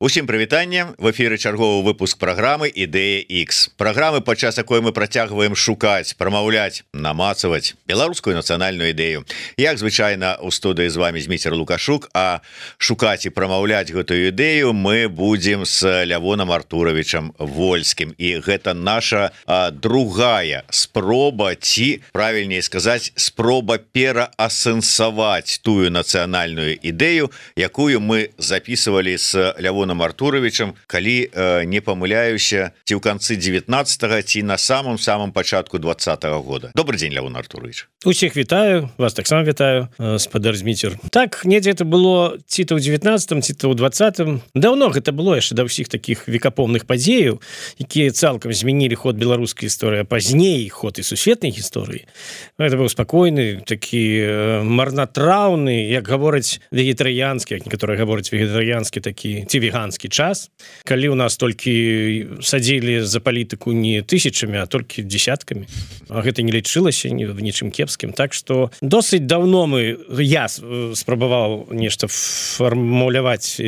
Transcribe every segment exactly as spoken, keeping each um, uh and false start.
Усім прывітанне, в эфіры чарговы выпуск праграмы Ідэя X. Праграмы, падчас якой мы працягваем шукаць, прамаўляць, намацаваць беларускую нацыянальную ідэю. Як звычайна у студыі з вами Зміцер Лукашук, а шукаць і прамаўляць гэтую ідэю мы будзем з Лявонам Артуровичам Вольскім. І гэта наша а, другая спроба, ці, правільней сказаць, спроба пераасэнсаваць тую нацыянальную ідэю, якую мы записывалі з Лявонам Артуровичем, калі э, не памыляюся, ці ў канцы девятнадцатого, ці на самом самом пачатку двадцатого года. Добрый день, Лявон Артурович. Усіх вітаю, вас таксама вітаю, спадар Зміцер. Так, недзе это было ці то ў девятнадцатым, ці то ў двадцатым. Даўно гэта было яшчэ да ўсіх такіх векапомных падзеяў, якія цалкам змянілі ход беларускай гісторыі, а пазней ход і сусветнай гісторыі. Гэта быў спакойны, такі марнатраўны, як гавораць вегетарыянскі, як некаторыя гавораць вегетарыянскі такі, ці веганскі час, калі ў нас толькі садзілі за палітыку не тысячамі, а толькі десяткамі. А гэта не лічылася ні в нічым кепскім. Так што досыць даўно мы, я спрабаваў нешта фармуляваць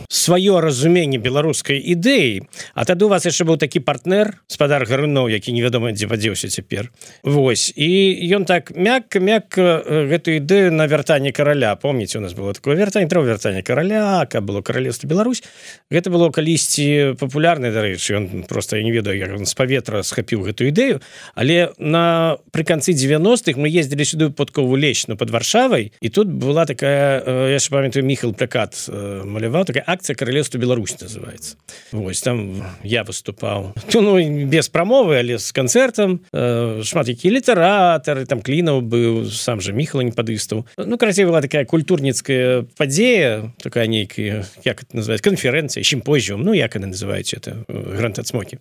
сваё разуменне беларускай ідэі. А тады у вас яшчэ быў такі партнер, спадар Гаруноў, які невядома дзе падзеўся цяпер. Вось. І ён так мякка-мякка гэтую ідэю на вяртанне караля. Помніце, у нас было такое вяртанне, трэба вяртанне караля, каб было каралевства Беларусь. Гэта было калісьці папулярнае, дарэчы, ён проста, я не ведаю, як ён з паветра схапіў гэтую ідэю, але на пры канцы девяностых мы ездзілі сюды ў Подкову Лечну пад Варшавай, і тут была такая, я яшчэ памятаю, Міхал плакат маляваў, такая акцыя «Каралевства Беларусь» называецца. Вось, там я выступаў. Ну, без прамовы, але з канцэртам. Шмат якія літаратары, там Клінаў быў, сам же Міхал не падыстаў. Ну, карацей, была такая культурніцкая падзея, такая нейкая, як это называется, конференция, симпозиум, ну, як она называете, это Гранд Ацмокі.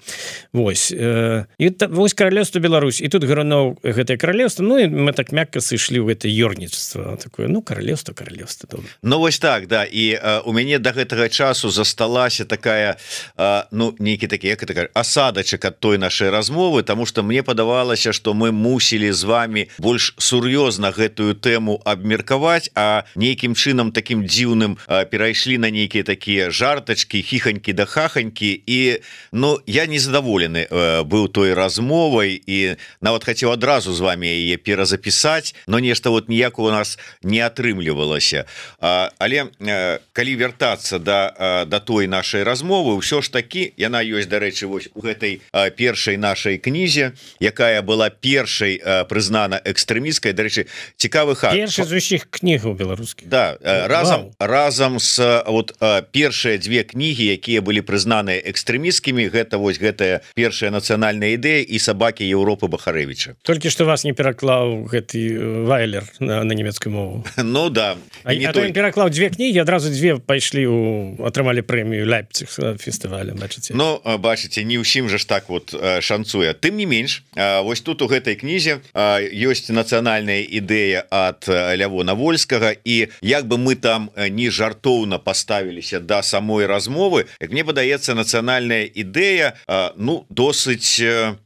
Вось. І вось Каралевство Беларусь. І тут Гаруноў гэтае каралевство, ну, і мы так мякка сышлі ў гэта ёрніцтва. Такое, ну, каралевство, каралевство. Добра. Ну, вось так, да. І э, у мяне да гэтага часу засталася такая, э, ну, нейкі такі, як это, асадачак ад той нашай размовы, таму што мне падавалася, што мы мусілі з вами больш сур'ёзна гэтую тэму абмеркаваць, а нейкім чынам такім дзіўным э, перайшлі на нейкія такія жартачкі, хіханькі да хаханькі, і, ну, я незадаволены э, быў той размовай, і нават хацеў адразу з вами яе перазапісаць, но нешта вот ніяк у нас не атрымлівалася. А, але э, калі вяртацца да, э, да той нашай размовы, ўсё ж такі, яна ёсць, дарэчы, вось у гэтай э, першай нашай кнізе, якая была першай э, прызнана экстрэмісткай, дарэчы, цікавы факт. Першы з усіх кнігаў беларускіх. Да, э, разам, разам з вот э, першыя дзве кнігі, якія былі прызнаныя экстрэмісткімі, гэта вось гэтая першая нацыянальная ідэя і сабакі Еўропы Бахарэвіча. Толькі што вас не пераклаў гэты Вайлер на, на нямецкую мову. Ну да. А, а то ён пераклаў дзве кнігі, адразу дзве пайшлі у атрымалі прэмію Лейпциг фестываля, бачыце. Ну, бачыце, не ўсім же ж так вот шанцуе. Тым не менш, вось тут у гэтай кнізе ёсць нацыянальная ідэя ад Лявона Вольскага, і як бы мы там не жартоўна паставіліся да самой размовы, як мне падаецца, нацыянальная ідэя, ну, досыць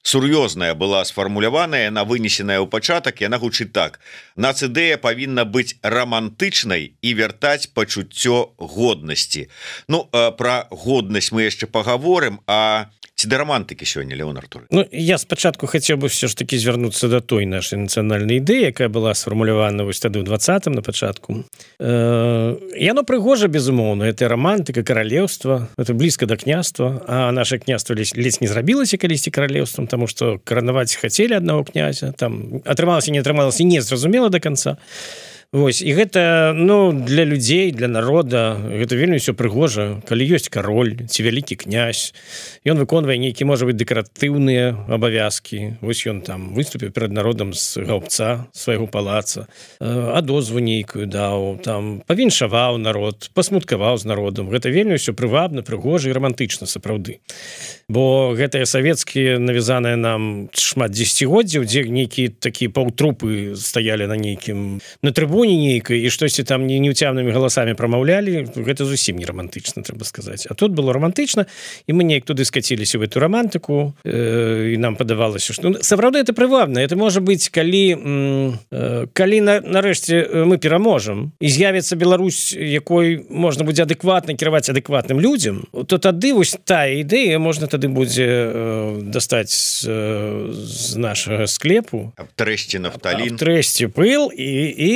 сур'ёзная была сфармуляваная, яна вынесеная ў пачатак, яна гучыць так: нацыдэя павінна быць рамантычнай і вяртаць пачуццё годнасці. Ну, пра годнасць мы яшчэ пагаворым, а ці да рамантыкі сёння, Лявон Артурович? Ну, я спачатку хацеў бы все ж таки звярнуцца да той нашай нацыянальнай ідэі, якая была сфармулявана вось тады ў двадцатым на пачатку. Э, яно прыгожа, безумоўна, это романтыка, каралеўства, это блізка да княства, а наше княства ледзь, ледзь не зрабілася калісьці каралеўствам, таму што каранаваць хацелі аднаго князя, там атрымалася, не атрымалася, не зразумела до конца. Вось, і гэта, ну, для людзей, для народа, гэта вельмі ўсё прыгожа, калі ёсць кароль ці вялікі князь, ён выконвае нейкі, можа быць, дэкаратыўныя абавязкі, вось ён там выступіў перад народам з гаўбца свайго палаца, адозву нейкую даў, там павіншаваў народ, пасмуткаваў з народам, гэта вельмі ўсё прывабна, прыгожа і рамантычна сапраўды. Бо гэтыя савецкія навязаныя нам шмат дзесяцігоддзяў, дзе нейкія такія паўтрупы стаялі на нейкім, на трыбуне, трыбуне нейкай і штосьці там не неўцямнымі галасамі прамаўлялі, гэта зусім не романтычна, трэба сказаць. А тут было романтычна, і мы неяк туды скаціліся в эту романтыку, э, і нам падавалася, што ну, сапраўды это прывабна. Это можа быць, калі э, калі на, нарэшце мы пераможам і з'явіцца Беларусь, якой можна будзе адэкватна кіраваць адэкватным людзям, то тады вось тая ідэя можна тады будзе э, дастаць з, э, з нашага склепу, абтрэсці нафталін, абтрэсці пыл і, і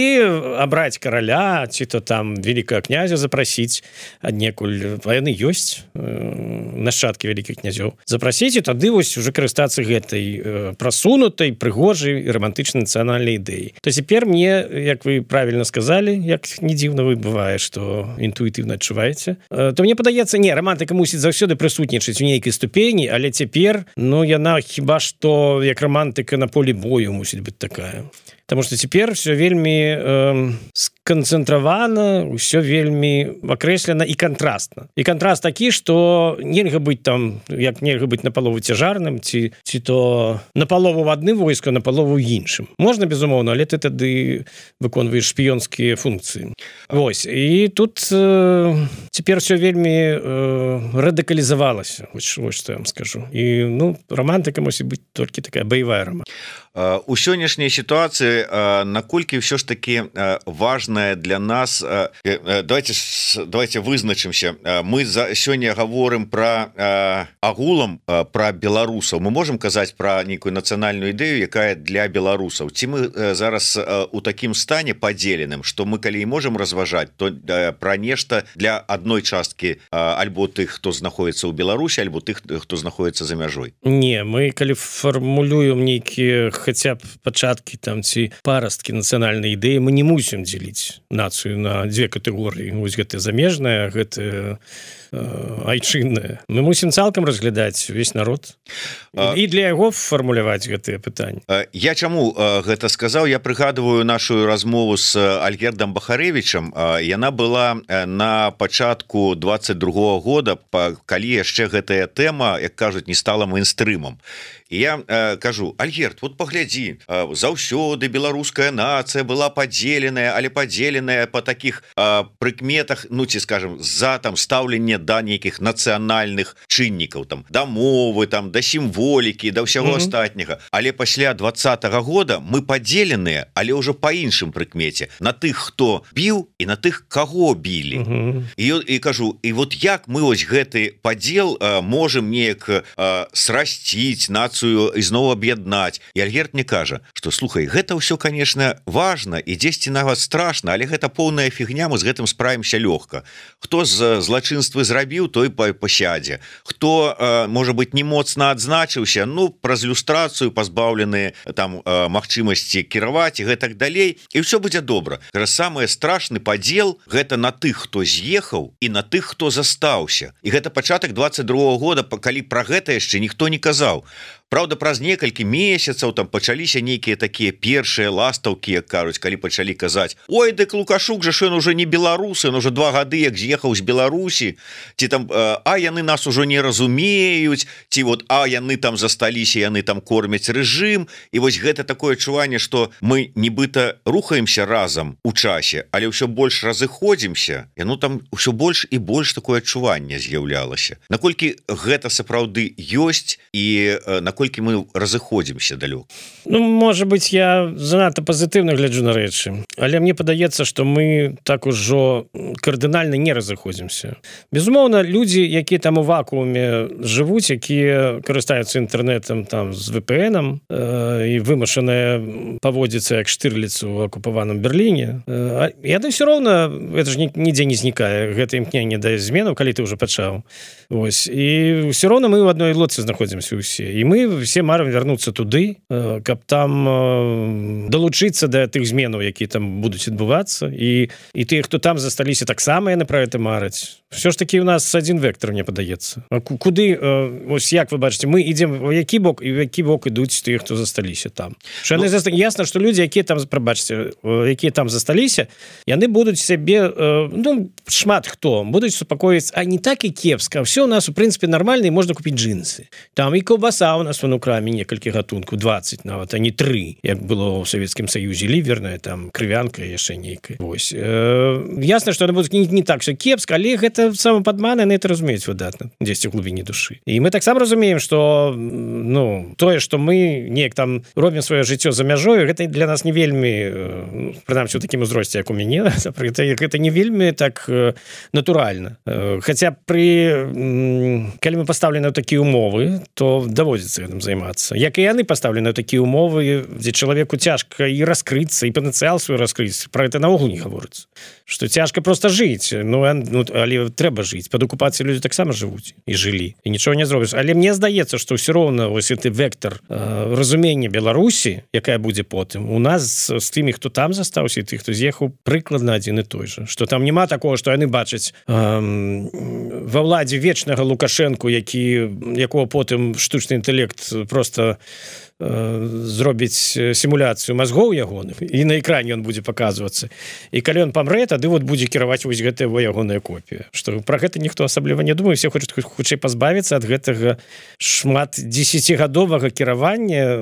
абраць караля, ці то там великага князя запрасіць аднекуль, а яны ёсць, э, нашчадкі вялікіх князёў, запрасіць, і тады вось уже карыстацца гэтай э, прасунутай, прыгожай і романтычнай нацыянальнай ідэі. То цяпер мне, як вы правільна сказалі, як не дзіўна вы бывае, што інтуітыўна адчуваеце, э, то мне падаецца, не, романтыка мусіць заўсёды прысутнічаць у нейкай ступені, але цяпер, ну, яна хіба што як романтыка на полі бою мусіць быць такая. Таму што цяпер все вельмі э, сканцэнтравана, ўсё вельмі акрэслена і кантрастна. І кантраст такі, што нельга быць там, як нельга быць напалову цяжарным, ці, ці то напалову в адным войску, напалову ў іншым. Можна, безумоўна, але ты тады выконваеш шпіёнскія функцыі. Вось. І тут э, цяпер все вельмі э, радыкалізавалася, вось, вось што я вам скажу. І, ну, романтыка мусіць быць толькі такая баявая романтыка. У сённяшняй сітуацыі наколькі ўсё ж таки важная для нас, давайте давайте вызначымся, мы за сёння гаворым про агулам про беларусаў, мы можем казаць про нейкую нацыянальную ідэю, якая для беларусаў, ці мы зараз у такім стане падзеленым, што мы калі і можем разважаць, то про нешта для адной часткі альбо тых, хто знаходіцца ў Беларусі, альбо тых, хто знаходіцца за мяжой. Не, мы калі фармулюем нейкія хотя б пачаткі там ці парасткі нацыянальнай ідэі, мы не мусім дзеліць нацыю на дзве катэгорыі. Вось гэта замежная, гэта айчынная. Мы мусім цалкам разглядаць увесь народ і для яго фармуляваць гэтыя пытанні. Я чаму гэта сказаў? Я прыгадываю нашу размову з Альгердам Бахарэвічам. Яна была на пачатку двадцать другого года, калі яшчэ гэтая тэма, як кажуць, не стала мейнстрымам. І я э, кажу: Альгерд, вот паглядзі, э, заўсёды беларуская нацыя была падзеленая, але падзеленая по таких э, прыкметах, ну ці скажем, за там стаўленне да нейкіх нацыянальных чыннікаў, там да мовы, там да сімволікі, да ўсяго mm-hmm. астатняга. Але пасля двадцатого года мы падзеленыя, але ўжо па іншым прыкмеце, на тых, хто біў і на тых, каго білі. Mm-hmm. І, і кажу, і вот як мы ось гэты падзел э, можем неяк э, срасціць нацыю, ізноў аб'яднаць. І Альгерд мне кажа, што слухай, гэта ўсё, конечно, важна і дзесьці нават страшна, але гэта поўная фігня, мы з гэтым справімся лёгка. Хто з злачынствы зрабіў, той пасядзе. Хто, э, можа быць, не моцна адзначыўся, ну, праз люстрацыю пазбаўлены там э, магчымасці кіраваць і гэтак далей, і ўсё будзе добра. Самы страшны падзел гэта на тых, хто з'ехаў, і на тых, хто застаўся. І гэта пачатак двадцать другого года, калі пра гэта яшчэ ніхто не казаў. Праўда, праз некалькі месяцаў там пачаліся нейкія такія першыя ластаўкі, як кажуць, калі пачалі казаць: ой, дык Лукашук жа ён уже не беларусы, ён уже два гады як з'ехаў з Беларусі, ці там а яны нас ужо не разумеюць, ці вот а яны там засталіся, яны там кормяць рэжым. І вось гэта такое адчуванне, што мы нібыта рухаемся разам у часе, але ўсё больш разыходзімся, і ну там ўсё больш і больш такое адчуванне з'яўлялася. Наколькі гэта сапраўды ёсць і на колькі мы разыходзімся далёк? Ну, можа быць, я занадта пазітыўна гляджу на рэчы, але мне падаецца, што мы так ужо кардынальна не разыходзімся. Безумоўна, людзі, якія там у вакууме жывуць, якія карыстаюцца інтэрнэтам там з вэ пэ эн-ам э, і вымушаныя паводзіцца як Штырліц у акупаваным Берліне, э, яны ўсё роўна, гэта ж нідзе не знікае, гэта імкненне да зменаў, калі ты ўжо пачаў. Вось. І ўсё роўна мы ў адной лодцы знаходзімся ўсе. І мы все марым вярнуцца туды, каб там далучыцца да тых зменаў, якія там будуць адбывацца, і, і тыя, хто там засталіся, таксама яны пра гэта мараць. Все ж таки у нас адзін вектор, мне падаецца. Куды, ось як вы бачыце, мы ідзем у які бок, і у які бок ідуць тыя, хто засталіся там. Ну, заста... Ясна, што людзі, якія там, прабачце, якія там засталіся, яны будуць сябе, ну, шмат хто, будуць супакоіць, а не так і кепска, все у нас, у прынцыпе, нармальна, і можна купіць джинсы. Там і колбаса у нас гаспадарства ну краме некалькі гатункаў двадцать нават а не тры як было ў Савецкім Саюзе ліверная там крывянка яшчэ нейкая вось э, ясна што будзе не, не так все кепска але гэта самападманы на это разумеюць выдатна дзесьці ў глыбіні душы і мы таксама разумеем што ну тое што мы неяк там робім сваё жыццё за мяжою гэта для нас не вельмі прынамсі у такім узросце як у мяне гэта, гэта не вельмі так натуральна хаця пры калі мы пастаўлены ў такія умовы то даводзіцца гэтым займацца як і яны пастаўлены ў такія умовы дзе чалавеку цяжка і раскрыцца і патэнцыял свой раскрыць про это наогул не гаворыцца што цяжка просто жыць ну, ну але трэба жыць пад акупацыяй людзі таксама жывуць і жылі і нічого не зробіш але мне здаецца што ўсё роўна вось гэты вектор э, разумення Беларусі якая будзе потым у нас з тымі хто там застаўся і тых хто з'ехаў прыкладна адзін і той же што там няма такого што яны бачаць э, ва ўладзе вечнага Лукашэнку які якого потым штучны інтэлект просто зробіць сімуляцыю мазгоў ягоных і на экране ён будзе паказвацца і калі ён памрэ тады вот будзе кіраваць вось гэтая ягоная копія што пра гэта ніхто асабліва не думае все хочуць хутчэй пазбавіцца ад гэтага шмат дзесяцігадовага кіравання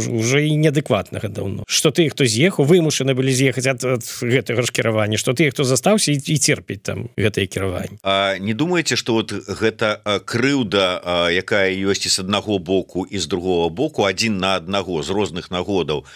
уже і неадэкватнага даўно што ты хто з'ехаў вымушаны былі з'ехаць ад, ад гэтага ж кіравання што ты хто застаўся і, і церпіць там гэтае кіраванне А не думаеце што вот гэта крыўда якая ёсць і з аднаго боку і з другого боку адзін на аднаго з розных нагодаў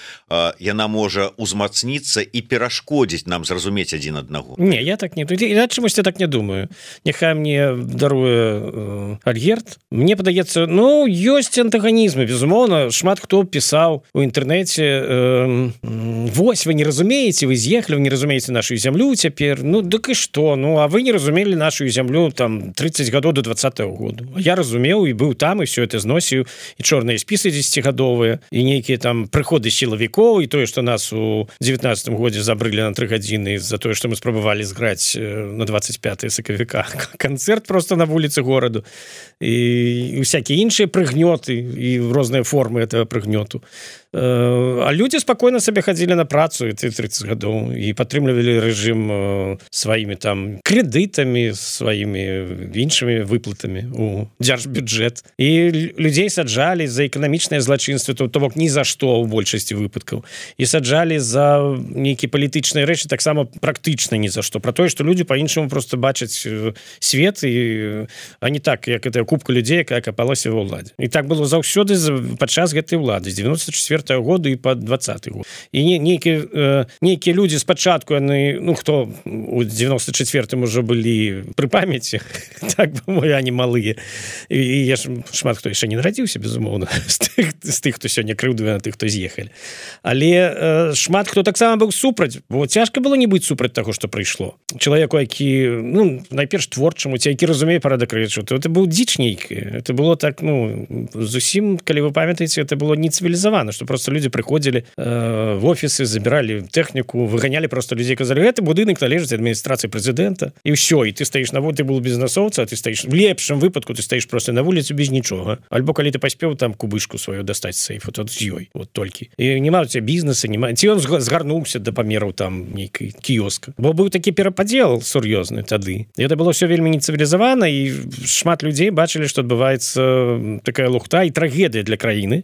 яна можа узмацніцца і перашкодзіць нам зразумець адзін аднаго Не я так не я чамусь так не думаю няхай мне даруе э, Альгерт мне падаецца ну ёсць антаганізмы безумоўна шмат хто пісаў у інтэрнэце э, вось вы не разумееце вы з'ехалі вы не разумееце нашу зямлю цяпер ну дык і што ну а вы не разумелі нашу зямлю там тридцать гадоў до двадцатого году я разумеў і быў там і все это зносіў і чорныя спісы дзесяцігадовыя і нейкія там прыходы сілавікоў і тое што нас у девятнадцатым годзе забрылі на тры гадзіны за тое што мы спрабавалі зграць на двадцать пятое сакавіка канцэрт просто на вуліцы гораду і всякія іншыя прыгнёты і розныя формы этого прыгнёту а людзі спакойна сабе хадзілі на працу ты тридцать гадоў і падтрымлівалі рэжым сваімі там крэдытамі сваімі іншымі выплатамі у дзяржбюджэт і людзей саджалі за эканамічнае злачынства то бок ні за што ў большасці выпадкаў і саджалі за нейкія палітычныя рэчы таксама практычна ні за што про тое што людзі по-іншаму просто бачаць свет і а не так як это купка людзей якая капалася ва ўладзе і так было заўсёды падчас гэтай улады з девяносто четвёртого году і под двадцатый год і не, нейкія э, нейкія людзі спачатку яны ну хто у девяносто четвёртым уже былі пры памяці так бы я не малыя і, і я ж шмат хто яшчэ не нарадзіўся безумоўна з тых, з тых хто сёння крыўдуе на тых хто з'ехалі але э, шмат хто таксама быў супраць бо цяжка было не быць супраць таго што прыйшло чалавеку які ну найперш творчаму ці які разумее парадак рэчаў то это быў дзіч нейкі это было так ну зусім калі вы памятаеце это было не цывілізавана што просто люди прыходзілі э, в офісы забіралі тэхніку выганялі просто людзей казалі гэты будынак належыць адміністрацыі прэзідэнта і ўсё і ты стаіш на вот ты был бізнесоўца ты стаіш в лепшым выпадку ты стаіш просто на вуліцу без нічога альбо калі ты паспеў там кубышку сваю дастаць сейф вот з ёй вот толькі і няма у тебя бізнеса няма ці он згарнуўся да памераў там нейкай кіёска бо быў такі перападзел сур'ёзны тады это было все вельмі нецывілізавана і шмат людзей бачылі што адбываецца такая лухта і трагедыя для краіны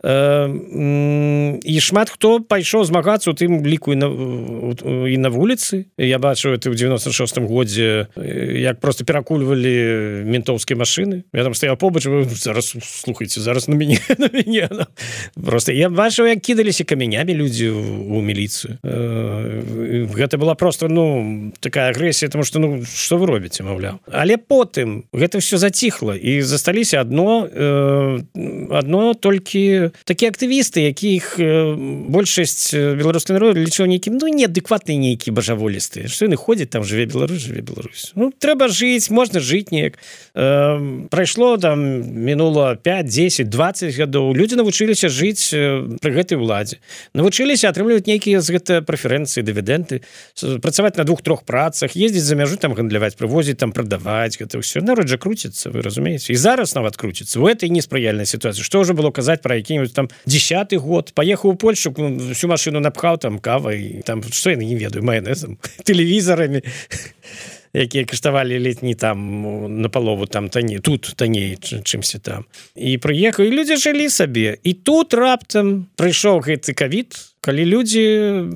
і шмат хто пайшоў змагацца у тым ліку і на, і на вуліцы я бачу это ў девяносто шостым годзе як просто перакульвалі ментоўскія машыны я там стаяў побач зараз слухайце зараз на мяне на мяне просто я бачыў як кідаліся камянямі людзі у міліцыю гэта была просто ну такая агрэсія тому что ну что вы робіце маўляў але потым гэта все заціхла і засталіся адно адно толькі такія актывісты якіх большасць беларускай народу лічыў нейкім ну неадэкватныя нейкія бажаволістыя што яны ходзяць там жыве Беларусь жыве Беларусь ну трэба жыць можна жыць неяк э, прайшло там мінула пять десять двадцать гадоў людзі навучыліся жыць пры гэтай уладзе навучыліся атрымліваць нейкія з гэта прэферэнцыі дывідэнты працаваць на двух-трох працах ездзіць за мяжу там гандляваць прывозіць там прадаваць гэта ўсё народ жа круціцца вы разумееце і зараз нават круціцца у этой неспрыяльнай сітуацыі што ўжо было казаць пра які там десятый год поехаў у Польшу всю машину напхаў там кавай там что я не ведаю майонезом телевизорами якія каштавалі летні там на палову там танней, тут танней чымся там, і прыехаў, і людзі жылі сабе, і тут раптам прыйшоў гэты ковід, калі людзі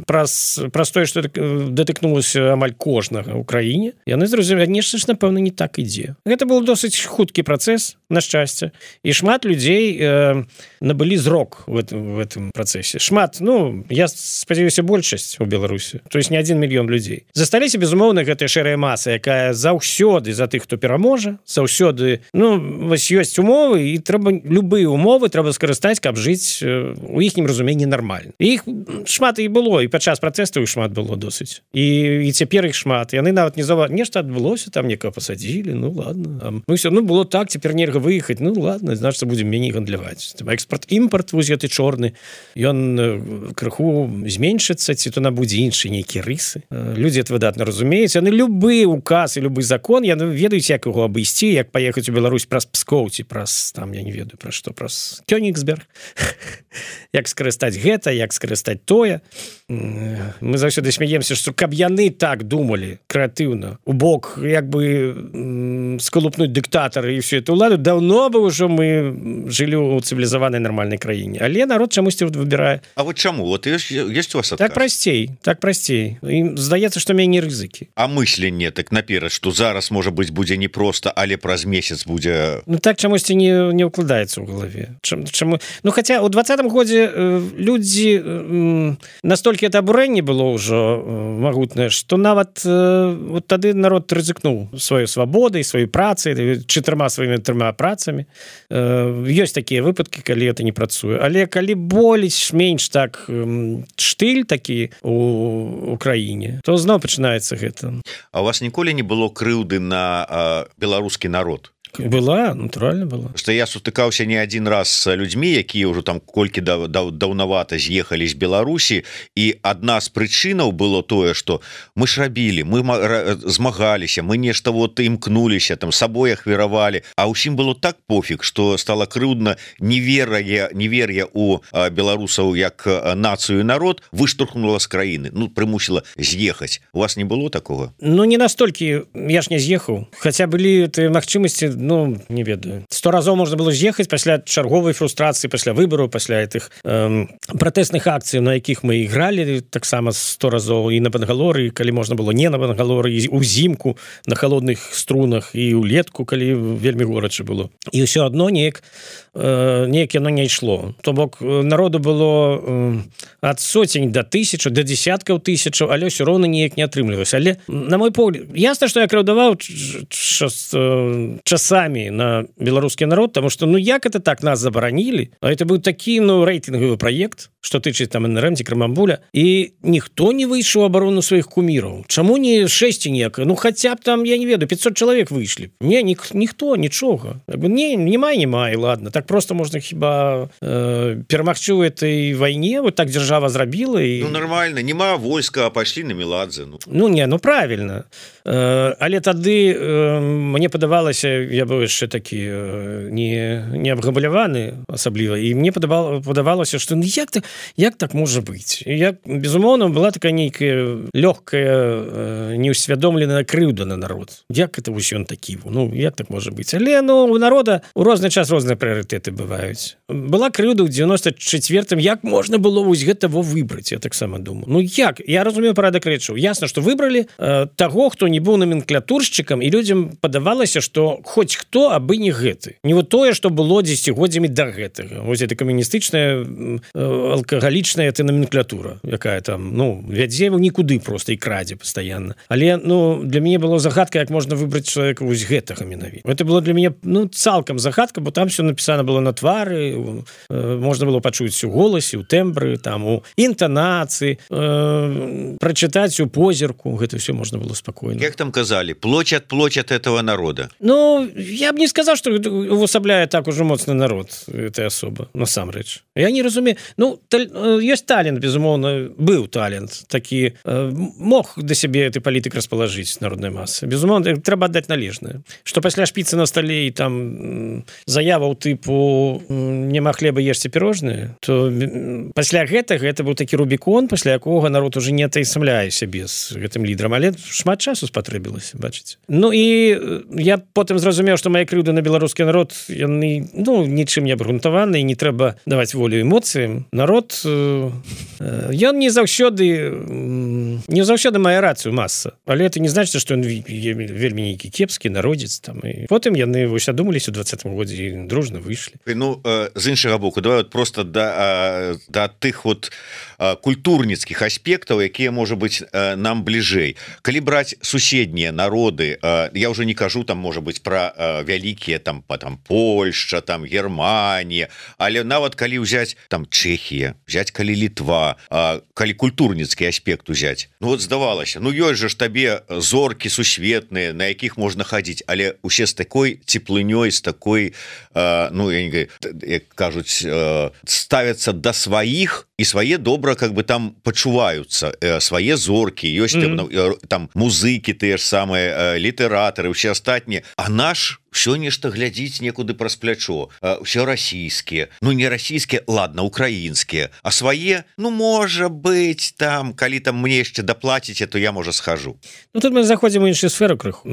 праз, праз тое, што датыкнулася амаль кожнага ў краіне, яны зразумелі, нешта ж, напэўна, не так ідзе. Гэта был досыць хуткі працэс, на шчасце, і шмат людзей э, набылі зрок в этом, в этом працэсе. Шмат, ну, я спадзяюся, большасць у Беларусі, то есть не адзін мільён людзей. Засталіся, безумоўна, гэтая шэрая маса, якая заўсёды за тых, хто пераможа, заўсёды, ну, вось ёсць умовы, і трэба, любыя умовы трэба скарыстаць, каб жыць у іхнім разуменні нармальна. І іх шмат і было, і падчас пратэстаў іх шмат было досыць. І, і цяпер іх шмат. Яны нават не зава... Нешта адбылося, там некага пасадзілі, ну ладно. Ну все, ну было так, цяпер нельга выехаць, ну ладно, значыць, будзем меней гандляваць. Экспорт-імпорт, вось гэты чорны, ён крыху зменшыцца, ці то набудзе іншыя нейкія рысы. Людзі это выдатна разумеюць. Яны любы указ і любы закон, яны ведаюць, як яго абысці, як паехаць у Беларусь праз Пскоў, ці праз, там, я не ведаю, пра што, праз Кёнігсберг. Як скарыстаць гэта, як скарыстаць тое. Мы заўсёды смяемся, што каб яны так думалі крэатыўна, у бок як бы скалупнуць дыктатары і всю эту ўладу, даўно бы ўжо мы жылі ў цывілізаванай нармальнай краіне. Але народ чамусьці выбірае. А вот чаму? Вот ёсць, ёсць у вас адказ? Так прасцей, так прасцей. Ім здаецца, што меней рызыкі. А мысленне так наперад, што зараз, можа быць, будзе не проста, але праз месяц будзе... Ну так чамусьці не, не ўкладаецца ў галаве. Чаму? Ну хаця ў двадцатым годзе людзі настолькі это абурэнне было ўжо магутнае, што нават вот тады народ рызыкнуў сваёй свабодай, сваёй працай, чатырма сваімі трыма працамі. Ёсць такія выпадкі, калі это не працуе. Але калі больш менш так штыль такі у краіне, то зноў пачынаецца гэта. А у вас ніколі не было крыўды на беларускі народ? Была, натуральна была. Што я сутыкаўся не адзін раз з людзьмі, якія ўжо там колькі да, да, даўнавата з'ехалі з Беларусі, і адна з прычынаў было тое, што мы ж рабілі, мы змагаліся, мы нешта вот імкнуліся, там сабой ахвяравалі, а ўсім было так пофіг, што стала крыўдна невер'я, невер'я у беларусаў як нацыю і народ выштурхнула з краіны, ну прымусіла з'ехаць. У вас не было такога? Ну не настолькі, я ж не з'ехаў, хаця былі тыя магчымасці, ну, не ведаю. Сто разоў можна было з'ехаць пасля чарговай фрустрацыі, пасля выбараў, пасля гэтых эм, пратэсных акцый, на якіх мы ігралі таксама сто разоў і на Бангалоры, калі можна было не на Бангалоры, і ўзімку на халодных струнах, і ўлетку, калі вельмі горача было. І ўсё адно неяк э, неяк яно не ішло. То бок народу было э, ад соцень да тысячу, да десяткаў тысячаў, але ўсё роўна неяк не атрымлівалася. Але, на мой погляд, ясна, што я крыўдаваў часамі на беларускі народ, потому что, ну, як это так нас забаранілі? А это быў такі, ну, рэйтынгавы праект, што тычыць там эн эр эм ці Крамамбуля, і ніхто не выйшаў у абарону сваіх куміраў. Чаму не шэсці неяк? Ну, хаця б там, я не ведаю, пятьсот чалавек выйшлі. Не, ні, ніхто, нічога. Не, не май, не май, ладно. Так просто можна хіба э, перамагчы ў этой вайне, вот так дзяржава зрабіла. І... Ну, нормально, нема войска, а пайшлі на Меладзе. Ну, ну не, ну, правильно. Э, але тады э, мне падавалася, я быў яшчэ такі э, не, не абграбляваны асабліва, і мне падавала, падавалася, што ну, як так, як так можа быць? Як, безумоўна, была такая нейкая лёгкая э, неусвядомленая крыўда на народ. Як это вось ён такі? Ну, як так можа быць? Але, ну, у народа у розны час розныя прыярытэты бываюць. Была крыўда ў девяносто четвёртым, як можна было вось гэта во выбраць, я таксама думаю. Ну, як? Я разумею парадак рэчаў. Ясна, што выбралі э, таго, хто не быў номенклатуршчыкам, і людзям падавалася, што хоць хто, абы не гэты. Не вот тое, што было дзесяцігоддзямі да гэтага. Вось это камуністычная, алкагалічная это номенклатура, якая там, ну, вядзе нікуды проста і крадзе пастаянна. Але, ну, для мяне было загадка, як можна выбраць чалавека вось гэтага менавіта. Это было для мяне, ну, цалкам загадка, бо там все напісана было на твары, можна было пачуць у голасе, у тэмбры, там, у інтанацыі, э, прачытаць у позірку, гэта все можна было спакойна. Як там казалі, плоть ад плоть ад этого народа? Ну, я б не сказаў, што увасабляе так ужо моцны народ этой асоба, насамрэч. Я не разумею, ну таль... ёсць талент, безумоўна, быў талент такі, мог да сябе ты палітык распалажыць народнай масы. Безумоўна, трэба аддаць належнае. Што пасля шпіцы на стале і там заяваў тыпу няма хлеба, ешце пірожныя, то пасля гэтага гэта быў такі рубікон, пасля якога народ уже не атаясамляе сябе з гэтым лідарам, але шмат часу спатрэбілася, бачыце. Ну і я потым зразумеў, што мае крыўды на беларускі народ, яны, ну, нічым не абгрунтаваны, і не трэба даваць волю эмоцыям. Народ, ён не заўсёды не заўсёды мае рацыю маса, але это не значыць, што ён вельмі нейкі кепскі народзец там. І потым яны вось адумаліся ў двадцатым годзе і дружна выйшлі. Ну, з іншага боку, давай вот просто да, да тых вот культурніцкіх аспектаў, якія, можа быць, нам бліжэй. Калі браць суседнія народы, я ўжо не кажу там, можа быць, пра вялікія там, там Польшча, там Германія, але нават калі ўзяць там Чэхія, взять калі Літва, калі культурніцкі аспект узяць. Ну вот здавалася, ну ёсць жа ж табе зоркі сусветныя, на якіх можна хадзіць, але усе з такой цеплынёй, з такой, ну, я не говорю, як кажуць, ставяцца да сваіх, і свае добра как бы там пачуваюцца, свае зоркі, ёсць mm-hmm. там музыкі, тыя ж самыя літаратары, усе астатнія, а наш все нешта глядзіць некуды праз плячо, все расійскія, ну не расійскія, ладно, украінскія, а свае, ну можа быць там, калі там мне яшчэ даплаціце, то я можа схожу. Ну тут мы заходзім у іншую сферу крыху.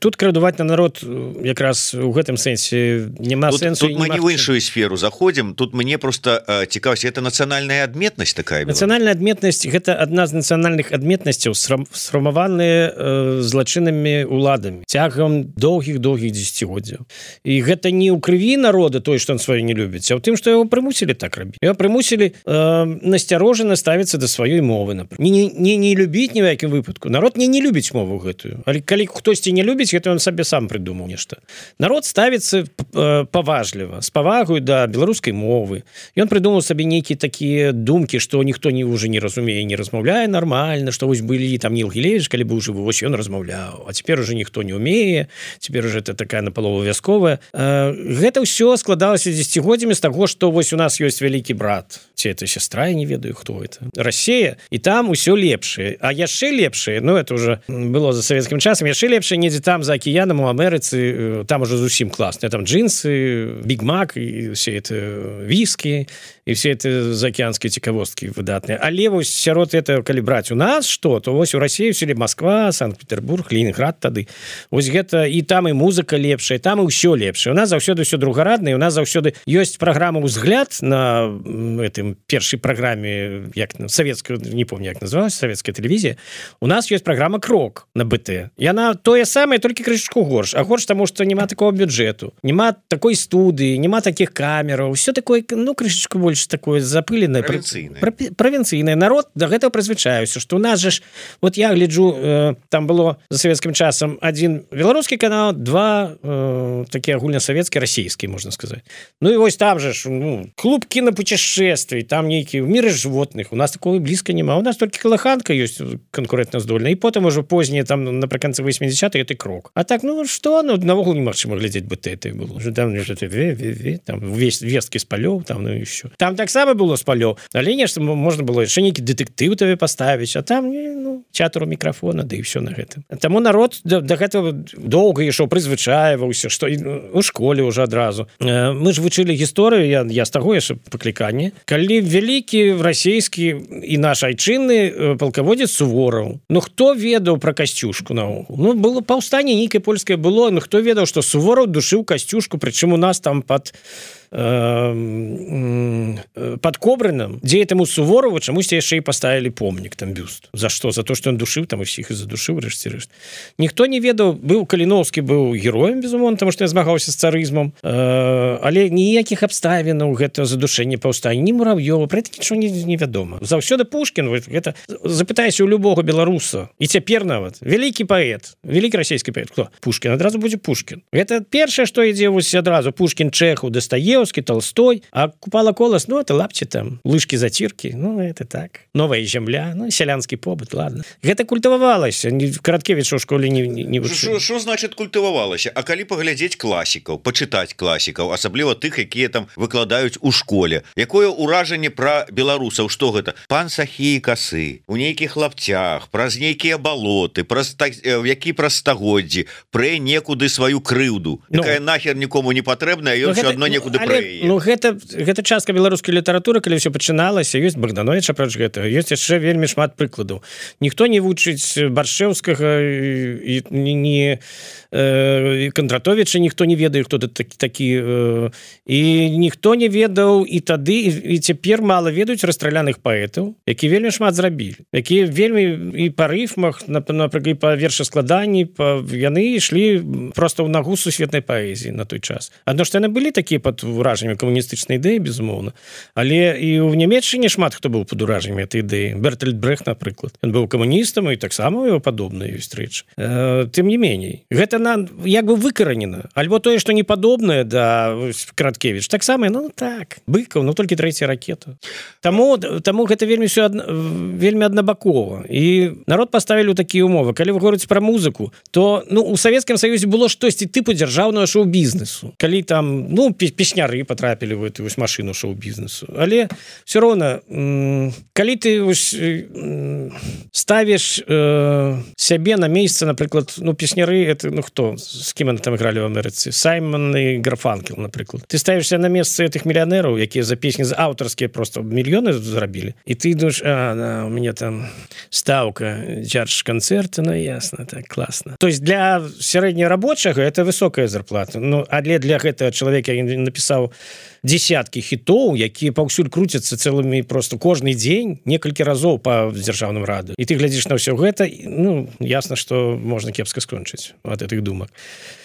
Тут крадуваць на народ якраз у гэтым сэнсе няма тут, сэнсу. Тут мы не в іншую сферу заходзім, тут мне просто э, цікавіць, это нацыянальная адметнасць такая. Нацыянальная адметнасць, гэта адна з нацыянальных адметнасцяў, сфармаваныя э, злачыннымі уладамі цягам доўгіх-доўгіх дзесяцігоддзяў. І гэта не ў крыві народа той, што он сваё не любіць, а ў тым, што яго прымусілі так рабіць. Яго прымусілі э, насцярожана ставіцца да сваёй мовы, напрыклад. Не, не, не любіць ні ў якім выпадку. Народ не не любіць мову гэтую. Але калі хтосьці не любіць, гэта он сабе сам прыдумаў нешта. Народ ставіцца э, паважліва, з павагаю да беларускай мовы. Ён прыдумаў сабе нейкія такія думкі, што ніхто не уже не разумее, не размаўляе нармальна, што вось былі там Ніл Гілевіч, калі быў жывы, вось ён размаўляў, а цяпер уже ніхто не умее, цяпер уже это такая напалову вясковая. Гэта ўсё складалася дзесяцігоддзямі з таго, што вось у нас ёсць вялікі брат, ці это сястра, я не ведаю, хто это. Расія, і там усё лепшае. А яшчэ лепшае, ну это уже было за савецкім часам, яшчэ лепшае недзе там за акіянам у Амерыцы, там уже зусім класна. Там джинсы, Big Mac і все это віскі, і все это заокеанскія цікавосткі выдатныя. Але вось сярод этого, калі браць у нас што, то вось у Расіі ўсё Москва, Санкт-Петербург, Ленинград тады. Вось гэта і там і музыка лепшая, там і ўсё лепшае. У нас заўсёды ўсё другараднае, у нас заўсёды ёсць праграма «Узгляд» на гэтым першай праграме, як савецкая, не помню, як называлась, савецкая тэлевізія. У нас ёсць праграма «Крок» на БТ. Яна тое самае, толькі крышачку горш. А горш таму, што няма такого бюджэту, няма такой студыі, няма такіх камераў, усё такое, ну, крышачку больш такое запыленае, правінцыйнае. Правінцыйнае. Народ да гэтага прызвычаіўся, што у нас же ж, вот я гляджу, э, там было за савецкім часам адзін беларускі канал, два э, такія агульнасавецкія, расійскія, можна сказаць. Ну і вось там же ж, ну, клуб кінапутешествий, там нейкі в міры жывотных. У нас такого блізка няма. У нас толькі калыханка ёсць канкурэнтна здольная. І потым ужо познія там напрыканцы восьмідзесятых это Крок. А так, ну што, ну навогул немагчыма глядзець БТ это было. Уже там там весь весткі з палёў, там ну і ўсё. Там таксама было з палёў, але нешта можна было яшчэ нейкі дэтэктыў табе паставіць, а там ну чатуру мікрафона, да і ўсё на гэтым. Таму народ да, да гэтага доўга ішоў, прызвычаіваўся, што у школе ўжо адразу. Мы ж вучылі гісторыю, я, я з таго яшчэ пакліканне, калі вялікі расійскі і наш айчынны палкаводзец Сувораў. Ну хто ведаў пра Касцюшку наогул? Ну было паўстанне нейкае польскае было, ну хто ведаў, што Сувораў душыў Касцюшку, прычым у нас там пад под Кобрыным, дзе этому Суворову чамусьці яшчэ і паставілі помнік, там бюст. За што? За то, што ён душыў там усіх і задушыў рэшце рэшт. Ніхто не ведаў, быў Каліноўскі быў героем, безумоўна, таму што я змагаўся з царызмам, але ніякіх абставінаў гэтага задушэння паўстання, ні Мурав'ёва, пра гэта нічого не, не вядома. Заўсёды Пушкін, гэта запытайся у любога беларуса, і цяпер нават вялікі паэт, вялікі расійскі паэт, хто? Пушкін, адразу будзе Пушкін. Гэта першае, што ідзе вось адразу Пушкін, Чэхаў, Дастаевскі, Толстой, а Купала Колас, ну, это лапчи там, лыжкі-заціркі, ну, это так. Новая зямля, ну, сялянскі побыт, ладно. Гэта культывавалася, Караткевіч у школе не, не, не вучыў. Што значит культывавалася? А калі паглядзець класікаў, пачытаць класікаў, асабліва тых, якія там выкладаюць у школе, якое ўражанне пра беларусаў, што гэта? Пан Сахі і касы, у нейкіх лапцях, праз нейкія балоты, праз які праз стагоддзі, прэ некуды сваю крыўду, ну, якая нахер нікому не патрэбная, ён все адно некуды прэ яе. Ну гэта, гэта частка беларускай літаратуры, калі ўсё пачыналася, ёсць Богданович, апроч гэтага, ёсць яшчэ вельмі шмат прыкладаў. Ніхто не вучыць Баршэўскага і не э, Кондратовича, ніхто не ведае, хто такі, такі э, і ніхто не ведаў і тады, і, і цяпер мала ведаюць расстраляных паэтаў, які вельмі шмат зрабілі, якія вельмі і па рыфмах, напрыклад, і па вершаскладанні, па, яны ішлі проста ў нагу сусветнай паэзіі на той час. Адно што яны былі такія пад уражаннямі камуністычнай ідэі, безумоўна, але і ў Нямецчыне шмат хто быў пад уражаннямі этой ідэі. Бертольд Брехт, напрыклад, ён быў камуністам, і таксама его падобныя ёсць рэчы. Э, тым не меней, гэта нам як бы выкаранена, альбо тое, што не падобнае да Краткевіч, таксама, ну так, Быкаў, ну толькі трэцяя ракета. Таму, таму гэта вельмі все адна, вельмі аднабакова. І народ паставілі ў такія умовы. Калі вы говорыце пра музыку, то ну у Савецкім Саюзе было штосьці тыпу дзяржаўнага шоу-бізнесу. Калі там, ну, песняры патрапілі в эту машину шоу-бізнесу. Але все роўна, калі ты ставіш э, сябе на месца, напрыклад, ну, песняры, это, ну, хто? З кім яны там ігралі в Амерыцы? Саймон і Гарфанкел, напрыклад. Ты ставішся на месца этих мільянераў, якія за песні аўтарскія просто мільёны зрабілі, і ты думаешь, а, да, у меня там ставка, чардж канцэрта, ну, ясно, так, класна. То есть для сярэднерабочага это высокая зарплата, ну, але для гэтага чалавека ён напісаў десяткі хітоў, якія паўсюль круцяцца цэлымі просто кожны дзень, некалькі разоў па дзяржаўным раду. І ты глядзіш на ўсё гэта, ну, ясна, што можна кепска скончыць ад гэтых думак.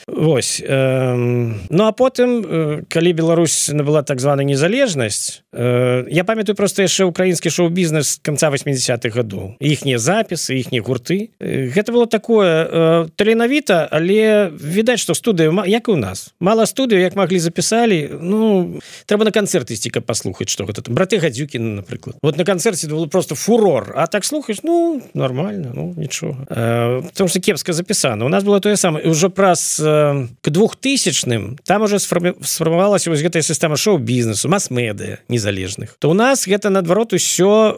Вось. Э, ну, а потым, э, калі Беларусь набыла так званая незалежнасць, э, я памятаю просто яшчэ украінскі шоу-бізнес канца восьмідзесятых гадоў. Іхнія запісы, іхнія гурты. Э, гэта было такое э, таленавіта, але відаць, што студыю, як і ў нас. Мала студыю, як маглі запісалі, ну, трэба на канцэрт ісці, каб паслухаць, што гэта там. Браты Гадзюкіны, напрыклад. Вот на канцэрце было просто фурор, а так слухаеш, ну, нормально, ну, нічога. Э, потому што кепска запісана. У нас было тое самае. Ўжо праз к двухтысячным там уже сфармавалася вось гэтая сістэма шоу-бізнесу, мас-медыя незалежных. То у нас гэта, наадварот, усё,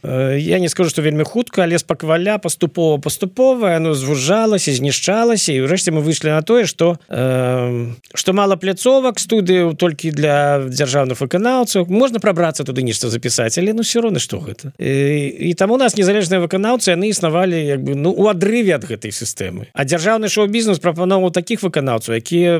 э, я не скажу, што вельмі хутка, але спакваля, паступова-паступова, оно звужалася, знішчалася, і ўрэшце мы выйшлі на тое, што э, што мала пляцовак, студыю толькі для дзяржаўных выканаўцаў. Можна прабрацца туды нешта запісаць, але ну ўсё роўна, што гэта. І, і таму у нас незалежныя выканаўцы, яны існавалі як бы, ну, у адрыве ад гэтай сістэмы. А дзяржаўны шоу-бізнес прапаноўваў такіх выканаўцаў, якія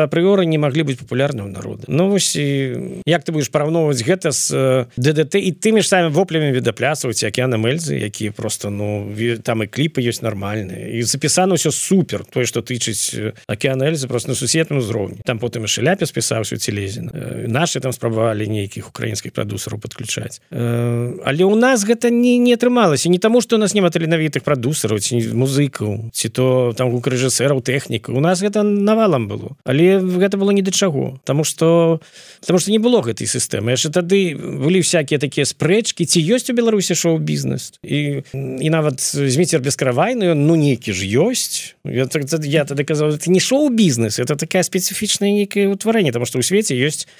апрыёры не маглі быць папулярнымі народу. Ну вось, і як ты будзеш параўноўваць гэта з ДДТ і тымі ж самі воплямі відаплясваць Акіяном Эльзы, якія просто, ну, там і кліпы ёсць нармальныя. І запісана ўсё супер. Тое, што тычыць Акіяна Эльзы, просто на сусветным узроўні. Там потым і Шаляпе спісаўся ў Целезіна. Нашы там спрабавалі нейкіх украінскіх прадусераў падключаць. Але ў нас гэта не, не атрымалася. Не таму, што у нас няма таленавітых прадусераў, ці музыкаў, ці то там гукарэжысэраў, тэхнік. У нас гэта навалам было, але гэта было ні да чаго, таму што таму што не было гэтай сістэмы. Яшчэ тады былі всякія такія спрэчкі, ці ёсць у Беларусі шоу-бізнес, і, і нават Зміцер Бескравайны, ну нейкі ж ёсць. Я, я тады казаў, это не шоу-бізнес, это такая спецыфічная нейкае ўтварэнне, таму што ў свеце ёсць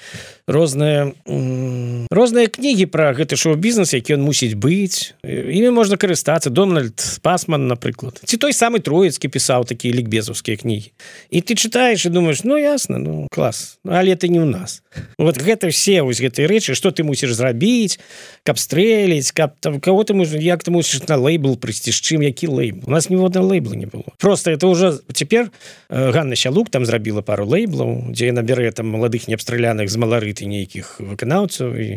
розныя розныя кнігі пра гэты шоу-бізнес, які ён мусіць быць, імі можна карыстацца. Дональд Пасман, напрыклад, ці той самы Троіцкі пісаў такія лікбезаўскія кнігі. І ты чытаеш і думаеш, ну ясна, ну клас, але это не ў нас. Вот гэта все вось гэтыя рэчы, што ты мусіш зрабіць, каб стрэліць, каб там кого ты мусіш, як ты мусіш на лейбл прыйсці, з чым, які лейбл. У нас ніводнага лейбла не было. Просто это уже цяпер Ганна Сялук там зрабіла пару лейблаў, дзе яна бярэ там маладых неабстраляных з маларыты нейкіх выканаўцаў і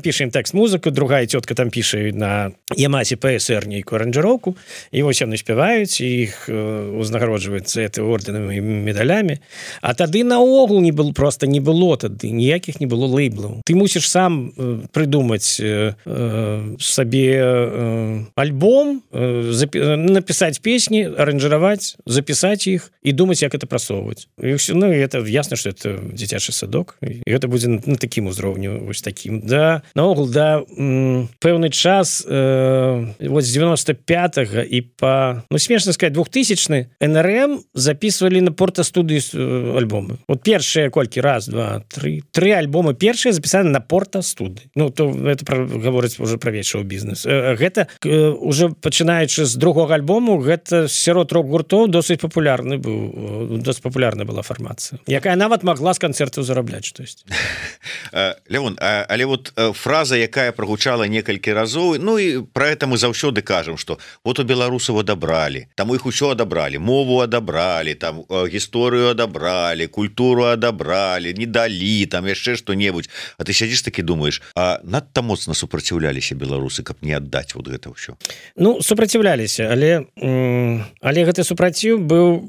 піша ім тэкст-музыку, другая цётка там піша на Ямасе ПСР нейкую аранжыроўку, і вось яны спяваюць, і іх узнагароджваюцца это орденамі і медалямі. А тады наогул не было, просто не было тады, ніякіх не было лейблаў. Ты мусіш сам э, прыдумаць э, э, сабе э, альбом, э, запи- напісаць песні, аранжыраваць, запісаць іх і думаць, як это прасоўваць. І ўсё, ну, і это ясна, што это дзіцячы садок, і гэта будзе на такім узроўню, вось такім. Да, наогул, да, м, пэўны час, э, вось з девяносто пятага і па, ну, смешна сказаць, двухтысячны эн эр эм записывали на порта-студыі альбомы. Вот першыя колькі раз, два, три, три альбомы першыя запісаны на порта-студыі. Ну, то это про, гаворыць уже пра вечаў бізнес. Гэта уже пачынаючы з другога альбому, гэта сярод рок-гуртоў досыць папулярны быў, досыць папулярная была фармацыя, якая нават магла з канцэртаў зарабляць штось. Леон, але вот фраза, якая прогучала некалькі разоў, ну і про это мы заўсёды кажам, что вот у беларусаў адабралі, там іх усё адабралі, мову адабралі, там гісторыю адабралі, культуру адабралі, не далі, там яшчэ што-небудзь. А ты сядзіш такі думаешь, а надта моцна супраціўляліся беларусы, каб не аддаць вот гэта ўсё? Ну, супраціўляліся, але але гэты супраціў быў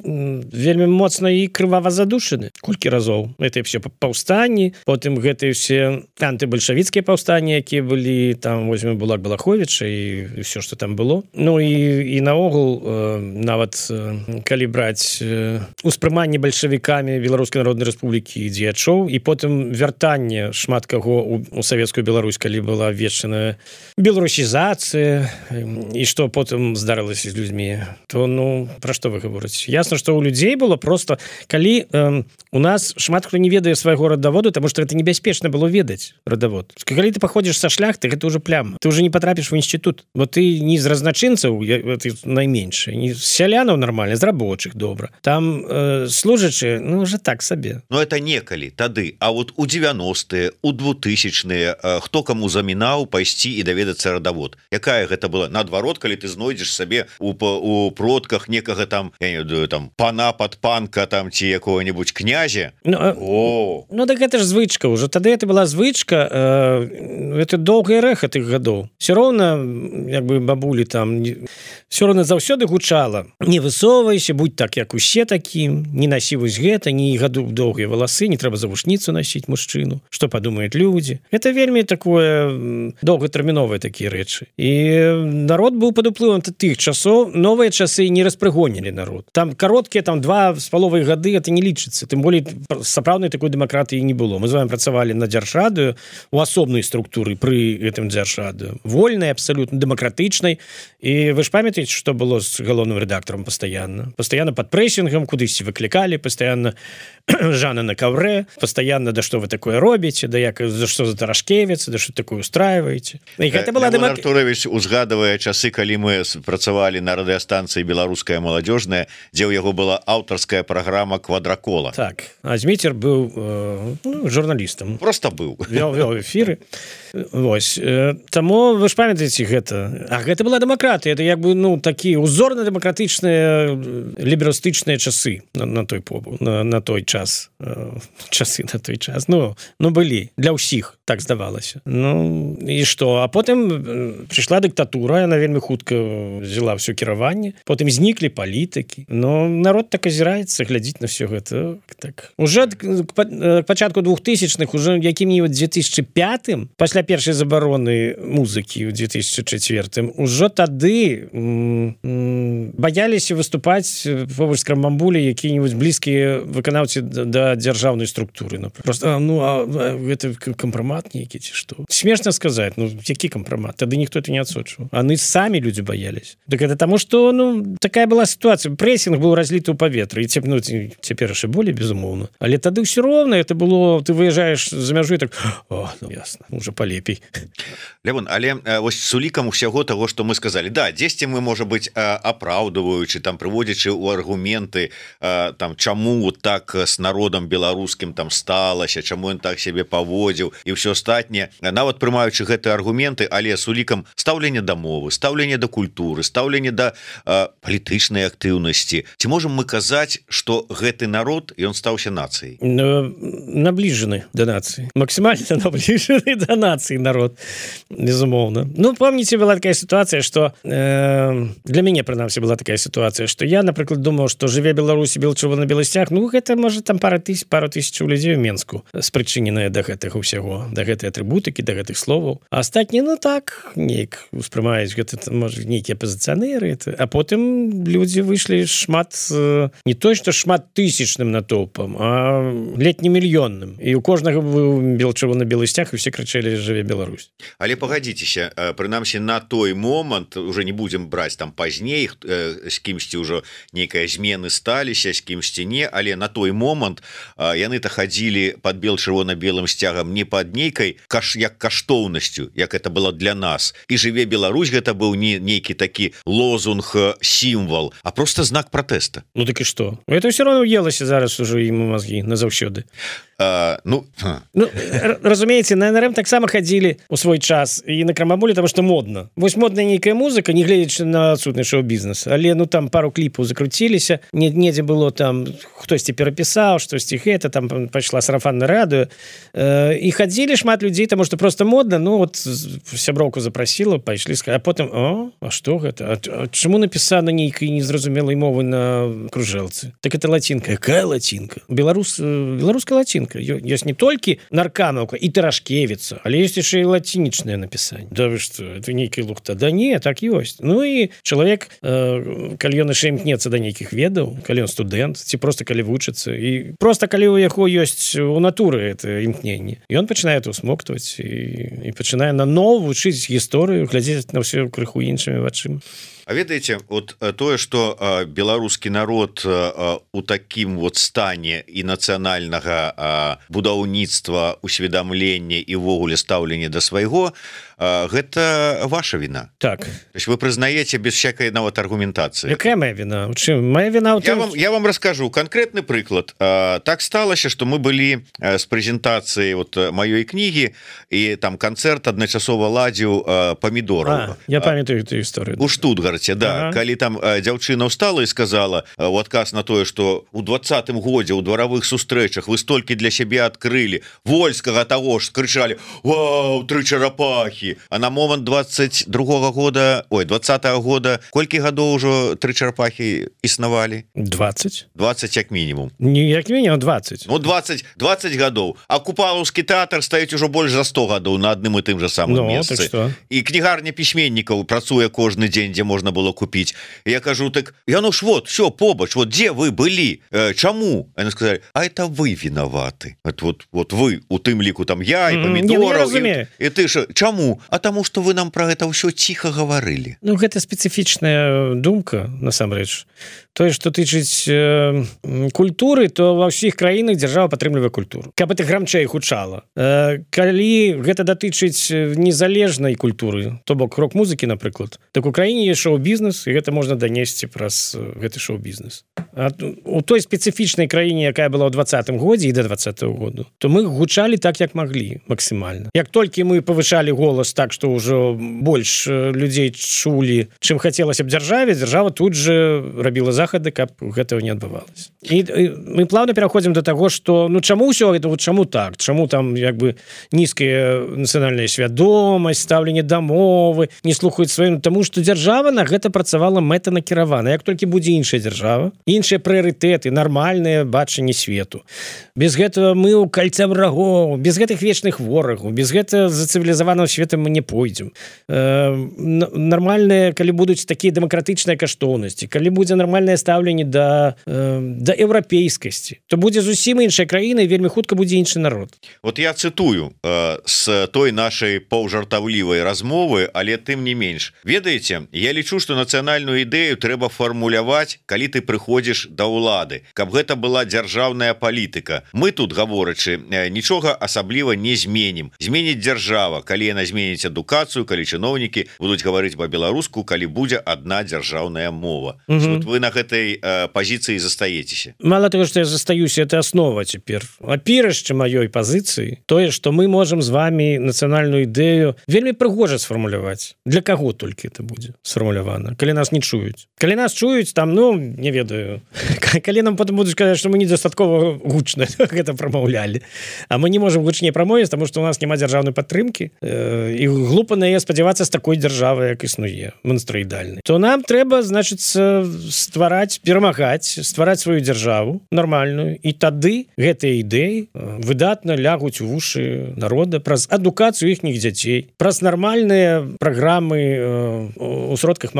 вельмі моцна і крывава задушаны. Колькі разоў это все паўстанні, потым гэтыя все антыбальшавіцкія паўстанні, якія былі там, возьмем Булак Балаховіча і все, што там было. Ну і, і наогул э, нават э, калі браць э, успрыманне бальшавікамі Беларускай Народнай Рэспублікі дзеячоў і потым вяртанне шмат каго у, у савецкую Беларусь, калі была вечная беларусізацыя і што потым здарылася з людзьмі, то ну пра што вы гаворыце? Ясна, што у людзей было просто, калі э, у нас шмат хто не ведае свайго радаводу, таму што гэта небяспечна было ведаць радавод. Калі ты паходзіш са шляхты, гэта ўжо пляма. Ты ўжо не патрапіш в інстытут, бо ты не з разначынцаў, ты найменшы, не з сялянаў нармальна, з рабочых добра. Там э, служачы, ну уже так сабе. Ну это некалі тады, а вот у девяностые, у двухтысячные э, хто каму замінаў пайсці і даведацца радавод. Якая гэта была? Наадварот, калі ты знойдзеш сабе у, у продках некага там, я не ведаю, там пана падпанка там ці якого-нибудь князя. Ну, О. ну так гэта ж звычка ўжо. Тады это была звычка, э, это доўгая рэха тых гадоў. Все роўна, як бы бабулі там, все роўна заўсёды гучала: не высоўвайся, будь так, як усе такім, не насі вось гэта, не гаду доўгія валасы, не трэба завушніцу насіць мужчыну, што падумаюць людзі. Это вельмі такое доўгатэрміновыя такія рэчы. І народ быў пад уплывам тых часоў, новыя часы не распрыгонілі народ. Там кароткія там два з паловай гады, это не лічыцца, тым болей сапраўднай такой дэмакратыі не было. Мы з вами працавалі на дзяржрадыё у асобнай структуры пры гэтым дзяржрадыё, вольнай, абсалютна дэмакратычнай. І вы ж памятаеце, што было з галоўным рэдактарам пастаянна? Пастаянна пад прэсінгам кудысьці выклікалі, пастаянна Жана на каўрэ, пастаянна: да што вы такое робіце, да як, за што за Тарашкевіц, да што такое устраиваеце. І гэта была Леон Артурович узгадывае часы, калі мы працавалі на радыёстанцыі «Беларуская маладзёжная», дзе ў яго была аўтарская праграма «Квадракола». Так, а Зміцер быў э, ну, журналістам. Просто быў. Вёў, вёў эфіры. Вось. Таму вы ж памятаеце гэта. А гэта была дэмакратыя, это як бы, ну, такія узорна-дэмакратычныя ліберастычныя часы на, на той побу, на, на той час. Часы на той час. Ну, ну, былі. Для ўсіх, так здавалася. Ну, і што? А потым прыйшла дыктатура, яна вельмі хутка взяла ўсё кіраванне. Потым зніклі палітыкі. Ну, народ так азіраецца, глядзіць на ўсё гэта. Так. Уже к пачатку двухтысячных, уже якім-нибудь две тысячи пятым, пасля першай забароны музыкі ў две тысячи четвёртым, ужо тады м м баяліся выступаць побач з Крамамбулі якія-нибудь блізкія выканаўцы да дзяржаўнай структуры. Ну, просто, ну, а гэта кампрамат нейкі ці што? Смешна сказаць, ну, які кампрамат? Тады ніхто это не адсочваў. Яны самі людзі баяліся. Так это таму, што, ну, такая была сітуацыя. Прэсінг быў разліты ў паветры. І цеп, ну, цяпер яшчэ болей, безумоўна. Але тады ўсё роўна, это было, ты выязджаеш за мяжу і так: о, ну, ясна, уже полепей. Левон, але вось с улікам усяго того, што мы сказали, да, дзесьці мы, можа быць, апраўдваючы, там, прыводзячы ў аргументы, там, чаму так с народам беларускім там сталася, чаму ён так сябе паводзіў і ўсё астатняе, нават прымаючы гэтыя аргументы, але с улікам стаўлення да мовы, стаўлення да культуры, стаўлення да палітычнай актыўнасці. Ці можам мы казаць, што гэты народ, ён стаўся нацыяй? Набліжаны да нацыі. Максімальна набліжаны да нацыі народ, безумоўна. Ну, помните, была такая ситуация, что э, для мяне, прынамсі, была такая ситуация, что я, напрыклад, думаў, что жыве Беларусь, бел чырвона белы сцяг, ну, гэта, может, там пара тысяч пару тысяч людзей у Менску спрычыненыя да гэтага ўсяго, да гэтай атрыбутыкі, да гэтых словаў. А астатні, ну так, неяк успрымаюць гэта, можа, нейкія апазіцыянеры, а потым людзі выйшлі шмат, не то што шмат тысячным натоўпам, а летне мільённым. І у кожнага быў чырвона-белы сцяг, і все крычалі «Жыве Беларусь». Але пагадзіцеся, прынамсі на той момант, уже не будзем браць там пазней, з кімсьці ўжо нейкая змены сталіся, з кімсьці не, але на той момант яны-то хадзілі пад бел-чырвона-белым сцягам не пад нейкай каш, як каштоўнасцю, як это было для нас. І «Жыве Беларусь» гэта быў не нейкі такі лозунг, сімвал, а просто знак пратэста. Ну так і што? Это ўсё роўно елася зараз ужо ім мазгі назаўсёды. Uh, ну, ну разумееце, на эн эр эм таксама хадзілі у свой час і на крамаболі, таму што модна. Вось модная нейкая музыка, не гледзячы на адсутны шоу-бізнес, але ну там пару кліпаў закруціліся, недзе было там хтосьці перапісаў, штосьці гэта, там пайшла сарафанна радыё, і хадзілі шмат людзей, таму што просто модна. Ну вот сяброўку запрасіла, пайшлі, а потым о, а што гэта? А чаму напісана нейкай незразумелай мовы на кружэлцы? Так это лацінка. Якая лацінка? Беларус, беларуская лацінка. Ёсць не толькі Наркамаўка і Тарашкевіца, але ёсць яшчэ і лацінічнае напісанне. Да вы што, это нейкая лухта? Да не, так ёсць. Ну і чалавек, э, калі ён яшчэ імкнецца да нейкіх ведаў, калі ён студэнт, ці проста калі вучыцца, і проста калі ў яго ёсць у натуры это імкненне, ён пачынае это усмоктваць і, і пачынае наново вучыць гісторыю, глядзець на ўсё крыху іншымі вачыма. А ведаеце, вот тое, што э, беларускі народ э, у такім вот стане і нацыянальнага э, будаўніцтва, усведамлення і ўвогуле стаўлення да свайго, э, гэта ваша віна. Так. То есть вы прызнаеце без всякай нават аргументацыі. Якая моя віна? У чым? Моя віна ў я тым... вам, я вам раскажу канкрэтны прыклад. Э, так сталася, што мы былі э, з прэзентацыяй вот маёй кнігі, і там канцэрт адначасова ладзіў э, памідораў. А, я памятаю эту гісторыю. У Штутгарце. Да, ага. Калі там э, дзяўчына ўстала і сказала э, у адказ на тое, што у двадцатым годзе ў дваравых сустрэчах вы столькі для сябе адкрылі, Вольскага таго ж крычалі: «Вау, тры чарапахі!» А на момант двадцать другога года, ой, двадцатага года, колькі гадоў ужо тры чарапахі існавалі? двадцать. двадцать як мінімум. Не як мінімум двадцать. Ну двадцать, двадцать гадоў. А Купалаўскі тэатр стаіць ужо больш за сто гадоў на адным і тым жа самым ну, месцы. Так і кнігарня пісьменнікаў працуе кожны дзень, дзе можна было купить. Я кажу, так, Януш, вот, все, побач, вот где вы были? Э, чему? Они сказали, а это вы виноваты. Это вот, вот вы, у тым ліку там я, и помидоров, mm, и, и ты же, чему? А тому, что вы нам про это все тихо говорили. Ну, гэта специфичная думка, насамрэч. Тое, што тычыць э, культуры, то ва ўсіх краінах дзяржава падтрымлівае культуру. Каб это грамчэй гучала. Э, калі гэта датычыць незалежнай культуры, то бок рок-музыкі, напрыклад, так у краіне ёсць шоу-бізнес, і гэта можна данесці праз гэты шоу-бізнес. А у той спецыфічнай краіне, якая была ў двадцатым годзе і да двадцатага году, то мы гучалі так, як маглі, максімальна. Як толькі мы павышалі голас так, што ўжо больш людзей чулі, чым хацелася б дзяржаве, дзяржава тут же рабіла захады, каб гэтага не адбывалася. І, і мы плавна пераходзім да таго, што ну чаму ўсё гэта, вот чаму так? Чаму там як бы нізкая нацыянальная свядомасць, стаўленне да мовы, не слухаюць сваім, таму што дзяржава на гэта працавала мэтанакіравана. Як толькі будзе іншая дзяржава, іншыя прыярытэты, нармальнае бачанне свету. Без гэтага мы ў кальца врагоў, без гэтых вечных ворагаў, без гэтага за цывілізаванага света мы не пойдзем. Э, нармальныя, калі будуць такія дэмакратычныя каштоўнасці, калі будзе нармальнае стаўленне да, э, да еўрапейскасці, то будзе зусім іншая краіна і вельмі хутка будзе іншы народ. Вот я цытую э, з той нашай паўжартаўлівай размовы, але тым не менш. Ведаеце, я лічу, што нацыянальную ідэю трэба фармуляваць, калі ты прыходзіш да ўлады, каб гэта была дзяржаўная палітыка. Мы тут, гаворачы, нічога асабліва не зменім. Зменіць дзяржава, калі яна зменіць адукацыю, калі чыноўнікі будуць гаварыць па-беларуску, калі будзе адна дзяржаўная мова. Угу. Вот вы на гэтай э, пазіцыі застаецеся. Мало того, што я застаюся, это аснова цяпер. Апірышча маёй пазіцыі, тое, што мы можам з вами нацыянальную ідэю вельмі прыгожа сфармуляваць. Для каго толькі это будзе сфармулявана? Калі нас не чуюць. Калі нас чуюць, там, ну, не ведаю, калі нам потым будуць казаць, што мы недастаткова гучна гэта прамаўлялі. А мы не можам гучней прамовіць, таму што у нас няма дзяржаўнай падтрымкі, э, і глупа на яе спадзявацца з такой дзяржавай, як існуе, монстроідальнай. То нам трэба, значыцца, ствараць ствараць перамагаць ствараць сваю дзяржаву нармальную і тады гэтыя ідэі выдатна лягуць у вушы народа праз адукацыю іхніх дзяцей праз нармальныя праграмы у сродках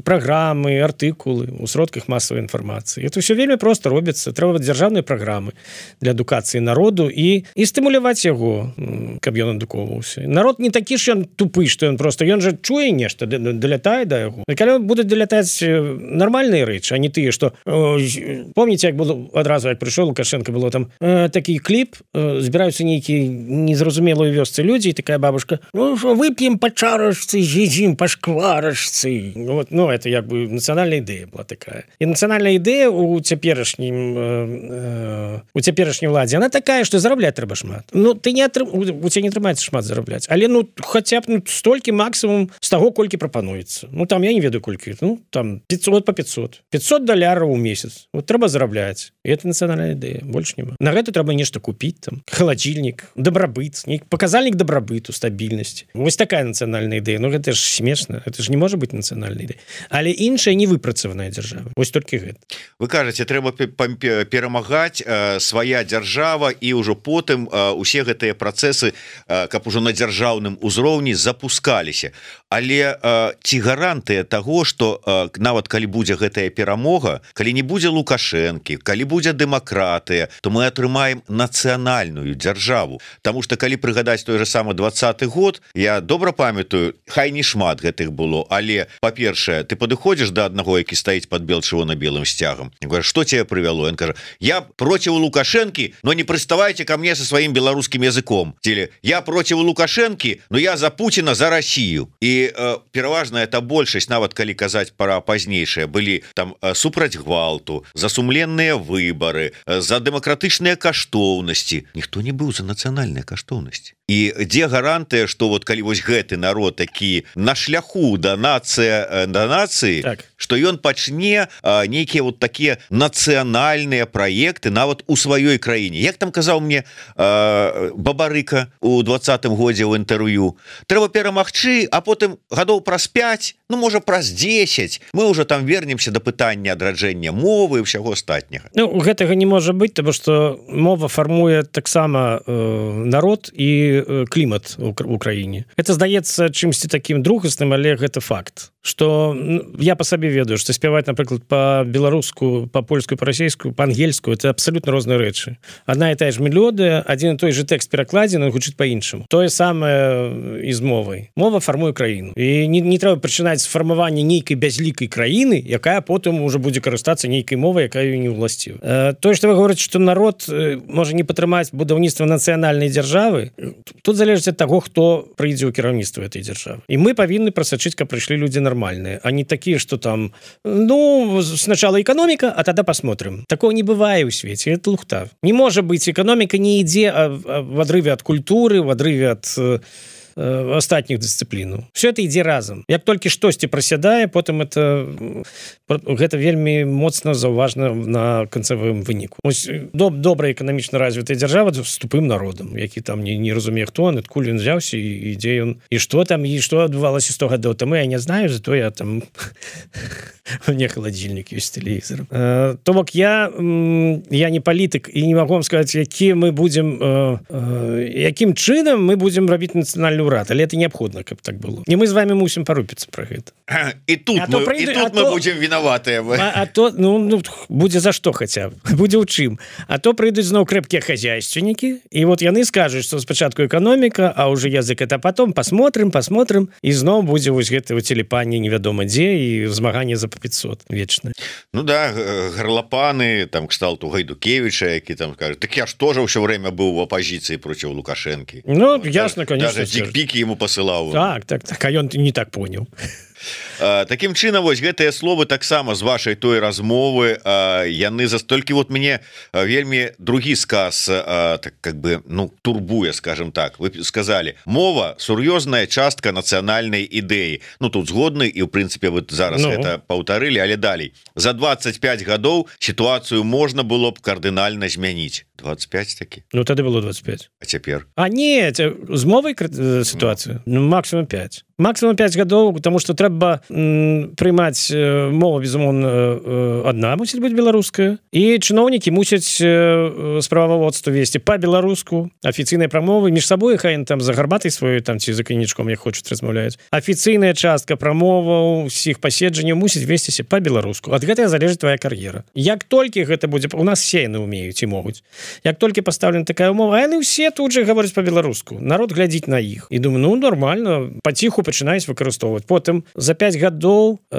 праграмы артыкулы у сродках масавай інфармацыі. Это все вельмі просто робіцца. Трэба дзяржаўныя праграмы для адукацыі народу і і стымуляваць яго, каб ён адукоўваўся. Народ не такі ж ён тупы, што ён просто ён жа чуе нешта, далятае да яго. І калі будуць далятаць нармальныя рэчы, а не тыя, што помніце, як было адразу, як прыйшоў Лукашенко, было там э, такі кліп, э, збіраюцца нейкія незразумелыя вёсцы людзі, і такая бабушка: ну што, вып'ем па чарачцы, з'едзім па шкварачцы. Вот, ну, это як бы нацыянальная ідэя была такая. І нацыянальная ідэя у цяперашнім э, э, у цяперашняй уладзе, она такая, што зарабляць трэба шмат. Ну, ты не атрым... у цябе не атрымаецца шмат зарабляць, але ну хаця б ну, столькі максімум з таго, колькі прапануецца. Ну, там я не ведаю колькі, ну, там пятьсот па пятьсот. пятьсот даляраў у месяц. Вот трэба зарабляць. І это нацыянальная ідэя, больш няма. На гэта трэба нешта купіць, там, халадзільнік, дабрабыт, паказальнік дабрабыту, стабільнасці. Вось такая нацыянальная ідэя. Ну, гэта ж смешна, это ж не можа быць нацыянальная ідэя. Але іншая не выпрацаваная дзяржава. Вось толькі гэта. Вы кажаце, трэба перамагаць э, свая дзяржава і ўжо потым э, усе гэтыя працэсы, э, каб ужо на дзяржаўным узроўні запускаліся. Але э, ці гарантыя таго, што э, нават калі будзе гэтая перамога, калі не будзе Лукашэнкі, калі будзе дэмакратыя, то мы атрымаем нацыянальную дзяржаву. Таму што калі прыгадаць той же самы двадцаты год, я добра памятаю, хай не шмат гэтых было, але, па-першае, ты падыходзіш да аднаго, які стаіць пад бел-чырвона-белым сцягам. Говорю, что тебе привело? Он кажа: я против Лукашенки, но не приставайте ко мне со своим белорусским языком. Или я против Лукашенки, но я за Путина, за Россию. И э, пераважна это большасць, нават калі казаць пара пазнейшыя, былі там э, супраць гвалту, за сумленныя выборы, э, за дэмакратычныя каштоўнасці. Ніхто не быў за нацыянальныя каштоўнасці. І дзе гарантыя, што вот калі вось гэты народ такі на шляху да нацыя да нацыі, так, што ён пачне а, нейкія вот такія нацыянальныя праекты нават у сваёй краіне. Як там казаў мне а, Бабарыка у двадцатым годзе ў інтэрв'ю, трэба перамагчы, а потым гадоў праз пяць, ну можа праз дзесяць мы ўжо там вернемся да пытання адраджэння мовы і ўсяго астатняга. Ну, гэтага не можа быць, таму што мова фармуе таксама э, народ і клімат у краіне. Это здаецца чымсьці такім другасным, але гэта факт. Што я па сабе ведаю, што спяваць, напрыклад, па-беларуску, па-польскую, па-расейскую, па-ангельскую, это абсалютна розныя рэчы. Адна і тая ж мелодыя, адзін і той же тэкст перакладзены, гучыць па-іншаму. Тое самае і з мовай. Мова фармуе краіну. І не, не трэба пачынаць з фармавання нейкай бязлікай краіны, якая потым ужо будзе карыстацца нейкай мовай, якая не ўласціва. Э, тое, што вы говорыце, што народ э, можа не падтрымаць будаўніцтва нацыянальнай дзяржавы, тут залежыць ад таго, хто прыйдзе ў кіраўніцтва этой дзяржавы. І мы павінны прасачыць, каб прыйшлі людзі нормальные, а не такие, что там, ну, сначала экономика, а тогда посмотрим. Такого не бывает в свете, это лухта. Не может быть, экономика не ідзе в отрыве от культуры, в отрыве от астатніх дысцыплінаў. Все это ідзе разам. Як толькі штосьці прасядае, потым это гэта вельмі моцна заўважна на канцавым выніку. Ось доб, добрая эканамічна развітая дзяржава з тупым народам, які там не, не разумее, хто он, адкуль ён взяўся і ідзе ён. І што там, і што адбывалася сто гадоў таму, я не знаю, зато я там не халадзільнік ёсць тэлевізор. То бок я я не палітык і не магу вам сказаць, які мы будзем якім чынам мы будзем рабіць нацыянальную урад, але это неабходна, каб так было. І мы з вами мусім парупіцца пра гэта. І тут, а мы, прыйду, і тут мы то, будзем вінаватыя. А, а то, ну, ну, будзе за што хаця б, будзе ў чым. А то прыйдуць зноў крэпкія хозяйственнікі, і вот яны скажуць, што спачатку эканоміка, а уже язык это потом, посмотрим, посмотрим, і зноў будзе вось гэта телепанне невядома дзе і змаганне за па пятьсот вечнае. Ну да, гарлапаны, там, кшталту Гайдукевича, які там кажуть, так я ж тоже ўсё время быў в апозіцыі проці Лукашэнкі. Ну, вот, ясно, конечно. Піки ему посылаў. Так, так, так, а ён не так понял. Такім чынам, вось гэтыя словы таксама з вашай той размовы яны застолькі вот мне вельмі другі сказ так как бы ну турбуе, скажем так. Вы сказали, мова сур'ёзная частка нацыянальнай ідэі. Ну тут згодны і ў прынцыпе вы зараз ну. это паўтарылі, але далей за двадцать пять гадоў сітуацыю можна было б кардынальна змяніць. двадцать пять такі. Ну тады было двадцать пять. А цяпер А не з мовай сітуацыю ну. ну, максимум пять максимум пять гадоў, потому что трэба м, прымаць э, мова безумоўна э, адна мусіць быць беларуская і чыноўнікі мусяць э, справаводства весці па-беларуску афіцыйнай прамовы між сабой хай там за гарбатай сваёй там ці за канічком як хочуць размаўляюць афіцыйная частка прамоваў усіх паседжанняў мусіць весціся па-беларуску ад гэтага залежыць твоя кар'ера як толькі гэта будзе у нас все яны умеюць і могуць як толькі пастаўлена такая умова яны ўсе тут же гавораць па-беларуску народ глядзіць на іх і думаю ну нормально паціху пачынаюць выкарыстоўваць потым за пять гадоў э,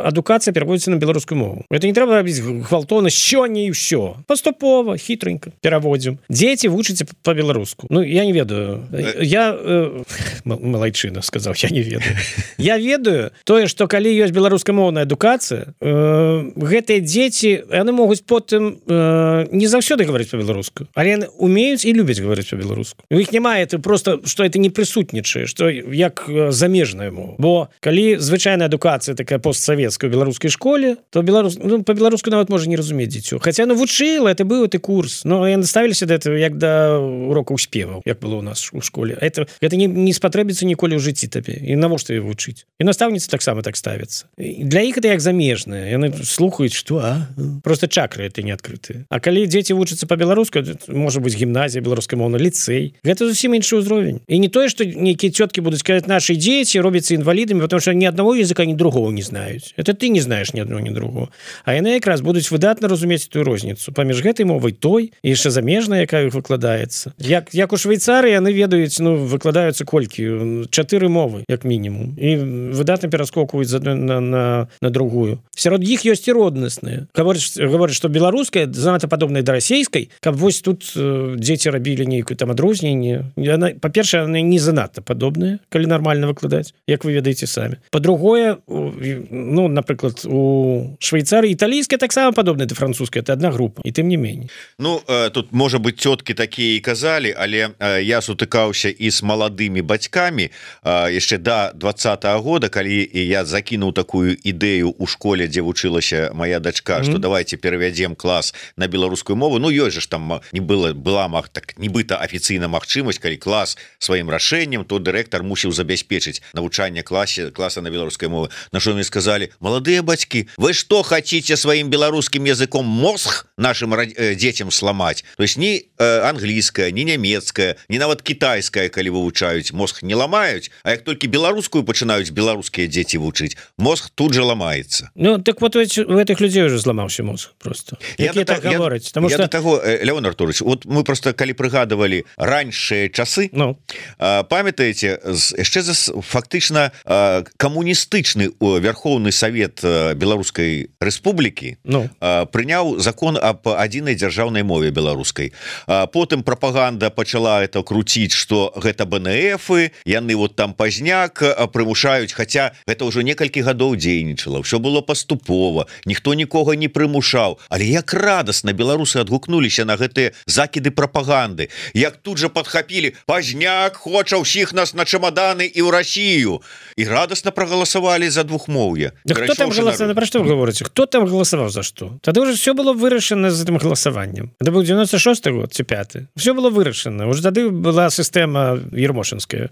адукацыя пераводзіцца на беларускую мову это не трэба рабіць гвалтоўна сёння і ўсё паступова хітренька пераводзім дзеці вучыцца па-беларуску ну я не ведаю я э, малайчына сказаў я не ведаю я ведаю тое што калі ёсць беларускамоўная адукацыя э, гэтыя дзеці яны могуць потым э, не заўсёды гаварыць па-беларуску але яны умеюць і любяць гаварыць па-беларуску у іх няма это просто што это не прысутнічае што як замежная мова бо калі звычайная адукацыя такая постсавецкая у беларускай школе то беларус ну, па-беларуску нават можа не разумець дзіцё хаця ну вучыла это быў ты курс но яны ставіліся да этого як да урокаў спеваў як было у нас у школе это гэта не, не спатрэбіцца ніколі ў жыцці табе і навошта ее вучыць і настаўніцы таксама так ставяцца для іх это як замежныя яны слухаюць што а просто чакры это не адкрытыя а калі дзеці вучацца па-беларуску можа быць гімназія беларускамоўна ліцэй гэта зусім іншы ўзровень і не тое што нейкія цёткі будуць казаць нашы дзеці робяцца інвалідамі потому что ні аднаго языка ні другого не знаюць это ты не знаеш ні аднаго ні другого а яны якраз будуць выдатна разумець тую розніцу паміж гэтай мовай той і яшчэ замежная якая іх выкладаецца як як у Швейцарыі яны ведаюць ну выкладаюцца колькі чатыры мовы як мінімум і выдатна пераскокваюць з адной на, на, на другую сярод іх ёсць і роднасныя гаворыць гаворыць што беларуская занадта падобная да расейскай каб вось тут э, дзеці рабілі нейкую там адрозненне яна па-першае яны не занадта падобныя калі нармальна выкладаць як вы ведаеце самі па-другое ну напрыклад у Швейцарыі італійская таксама падобная да французская это одна група і тым не меней ну э, тут можа быть цёткі такія і казалі але э, я сутыкаўся і з маладымі бацькамі э, яшчэ да двадцатого года калі я закінуў такую ідэю у школе дзе вучылася моя дачка mm-hmm. что давайте перавядзем клас на беларускую мову ну ёсць же ж там не было была мах так нібыта афіцыйна магчымасць калі клас сваім рашэннем то дырэктар мусіў забяспечыць навучанне класе класа на беларускай мовы на что мне сказали молодые бацькі вы что хотите сваім беларускім языком мозг нашим э, детям сломать то есть не э, англійская не нямецкая не нават китайская калі вывучаюць мозг не ламаюць а як толькі беларускую пачынаюць беларускія дзеці вучыць мозг тут же ламаецца ну так вот у этих людзей уже зламаўся мозг просто я до так говорить потому что того Леон Артурович вот мы просто калі прыгадывали раньшыя часы ну э, памятаете яшчэ за фактычна э, камуністычны Верховный Совет Беларускай Рэспублікі ну. э, прыняў закон об адзінай дзяржаўнай мове беларускай э, потым прапаганда пачала это круціць что гэта БНФы яны вот там пазняк прымушаюць хотя гэта ўжо некалькі гадоў дзейнічала все было паступова ніхто нікога не прымушаў але як радасна беларусы адгукнуліся на гэтыя закіды прапаганды як тут же подхапілі пазняк хоча ўсіх нас на чамаданы і ў Россию і радасна прагаласавалі за двухмоўе да кто там голосовал про что вы говорите кто там голосовал за что тогда уже все было вырашана за этим голосованием это был девяносто шестой год ці пятый все было вырашана уже тады была сістэма ермошинская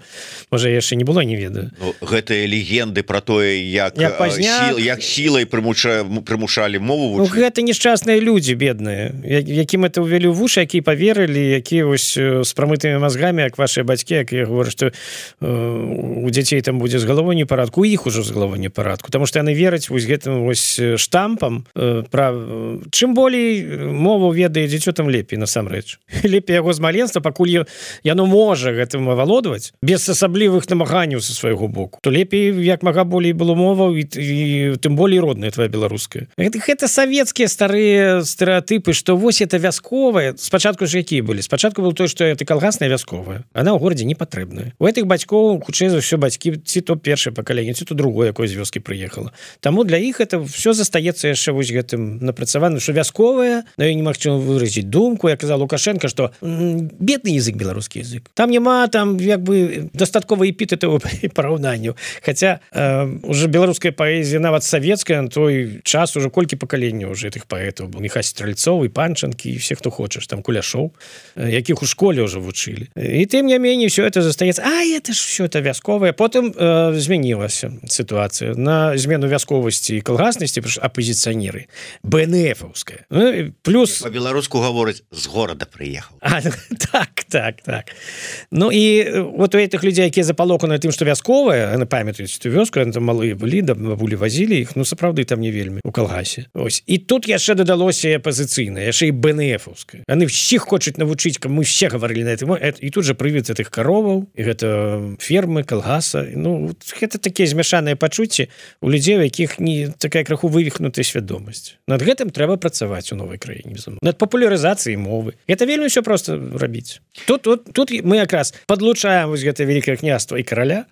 можа яшчэ не было не ведаю ну, гэтыя легенды про тое як як, сіл, як сілай прымуша прымушалі мову ну, гэта несчастныя людзі бедныя якім это увялі ў вушы які поверылі якія вось з прамытымі мозгамі як ваши бацькі як я говорю что э, у дзяцей там будзе з галавой непарадку у іх ужо з галавой непарадку потому что яны вераць вось гэтым вось штампам э, пра чым болей мову ведае дзіцё там лепей насамрэч лепей яго з маленства пакуль яно можа гэтым авалодваць без асаблівых намаганняў са свайго боку то лепей як мага болей было моваў і, і тым болей родная твоя беларуская гэта, гэта савецкія старыя стэеатыпы што вось это вясковая спачатку ж якія былі спачатку был той што это калгасная вясковая она ў горадзе не патрэбная у гэтых бацькоў хутчэй за ўсё бацькі ці то першае пакаленне ці то другое якое з вёскі прыехала таму для іх это все застаецца яшчэ вось гэтым напрацаваным що вясковая на ёй немагчыма выразіць думку я казаў Лукашенко что бедны язык беларускі язык там няма там як бы дастаткова эпітэтаў і параўнанняў хаця э, уже беларуская паэзія нават савецкая на той час уже колькі пакаленняў уже этих паэтаў был Міхась Стральцоў і Панчанкі і все хто хто хочаш там куляшоў, якіх у школе ўжо вучылі, і тым не меней все это застаецца. А это ж все это вясковае. Потым э, змянілася сітуацыя на змену вясковасці і калгаснасці апозіцыянеры БНФаўская, ну, плюс по-беларуску гаворыць з горада прыехаў. А, так так так ну і вот у этих людзей, якія запалоханы тым, што вясковая, яны памятаюць эту вёску, яны там малыя былі, да бабулі вазілі іх, ну сапраўды там не вельмі у калгасе. Ось і тут яшчэ дадалося апозіцыйнае, яшчэ і БНФаўская. Яны всіх хочуць навучыць, каб мы все гаварылі на этом, і тут же прывід гэтых кароваў, і гэта фермы, калгаса. Ну гэта такія змяшаныя пачуцці у людзей, у якіх не такая крыху вывіхнутая свядомасць. Над гэтым трэба працаваць у новай краіне, безумоўна. Над папулярызацыяй мовы. Это вельмі ўсё проста рабіць. Тут тут тут мы якраз падлучаем вось гэта вялікае княства і караля.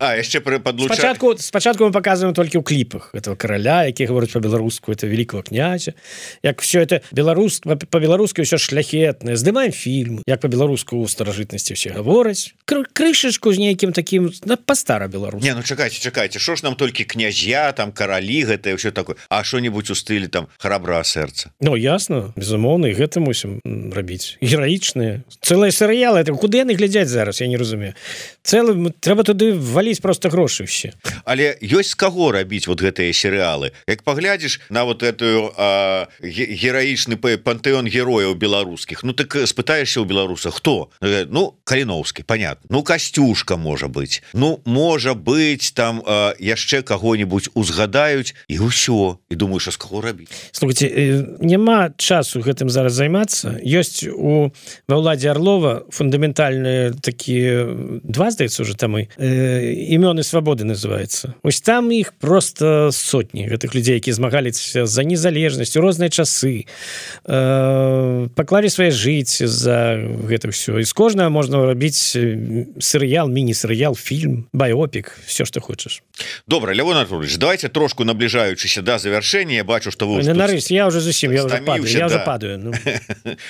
А яшчэ пры падлучаць. Спачатку спачатку мы показываем толькі ў кліпах этого караля, які гаворыць па-беларуску, это великого князя. Як все это беларус па-беларуску ўсё шляхетнае. Здымаем фільм, як па-беларуску ў старажытнасці все гавораць. Крышачку з нейкім таким па-стара-беларуску. Не, ну чакайце, чакайце, што ж нам толькі князья, там каралі, гэта ўсё такое. А што-небудзь у стылі там храбрага сэрца? Ну ясна, безумоўна, і гэта мусім рабіць. Гераічныя. Цэлыя серыялы, это куды яны глядзяць зараз, я не разумею. Цэлы трэба туды валіць просто грошы ўсе. Але ёсць з каго рабіць вот гэтыя серыялы. Як паглядзіш на вот эту а, гераічны пантэон герояў беларускіх, ну так спытаешся ў беларуса, хто? Ну Каліноўскі, понятно. Ну Касцюшка можа быць. Ну можа быць там а, яшчэ каго-нибудь узгадаюць і ўсё. І думаеш, а з каго рабіць? Слухайте, няма часу гэтым зараз займацца. Ёсць у ва ўладзе Арлова фундаментальныя такія два, здаецца, уже там і імёны свабоды называется. Вось там іх просто сотні гэтых людзей, якія змагаліся за незалежнасць у розныя часы, э, паклалі свае жыцці за гэта ўсё. І з кожнага можна рабіць серыял, міні-серыял, фільм, байопік, все што хочаш. Добра, Лявон Артурович, давайте трошку набліжаючыся да завяршэння. Бачу, што вы нарыс, я уже зусім я уже падаю, я уже падаю. Ну.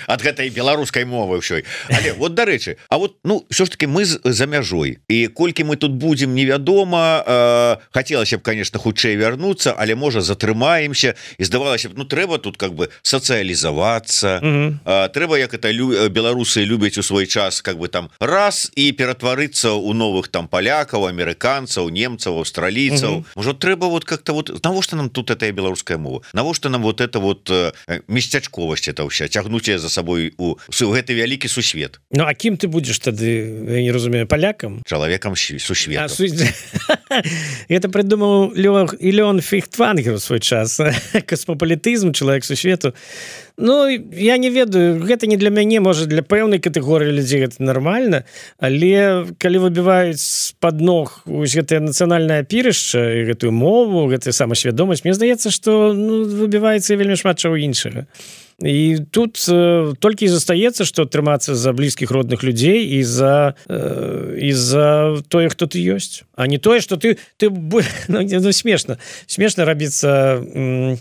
Ад гэтай беларускай мовы ўсёй. Але вот дарэчы, а вот ну все ж таки мы за мяжой. І колькі мы тут будем невядома, э, хацелася б, конечно, хутчэй вярнуцца, але можа затрымаемся, і здавалася б, ну трэба тут как бы сацыялізавацца. Mm-hmm. э, трэба, як это лю... беларусы любяць у свой час как бы там раз і ператварыцца ў новых там палякаў, амерыканцаў, немцаў, аўстралійцаў. Mm-hmm. Можа трэба вот как-то вот навошта нам тут этая беларуская мова? Навошта нам вот это вот э, месцячковасць это ўся, цягнуць за сабой у, у гэты вялікі сусвет. Ну а кім ты будзеш тады, я не разумею, палякам? Чалавекам сусвету. А, су... Это придумал Леон Фейхтвангер в свой час. Космополітызм, чалавек сусвету. Ну, я не ведаю, гэта не для мяне, можа, для пэўнай катэгорыі людзей гэта нармальна, але калі выбіваюць з-пад ног гэтае нацыянальнае апірышча і гэтую мову, гэтую самасвядомасць, мне здаецца, што ну, выбіваецца вельмі шмат чаго іншага. І тут э, толькі і застаецца, што трымацца за блізкіх родных людзей і за, э, і за тое, хто ты ёсць. А не тое, што ты, ты ну, ну, смешна. Смешна рабіцца, м,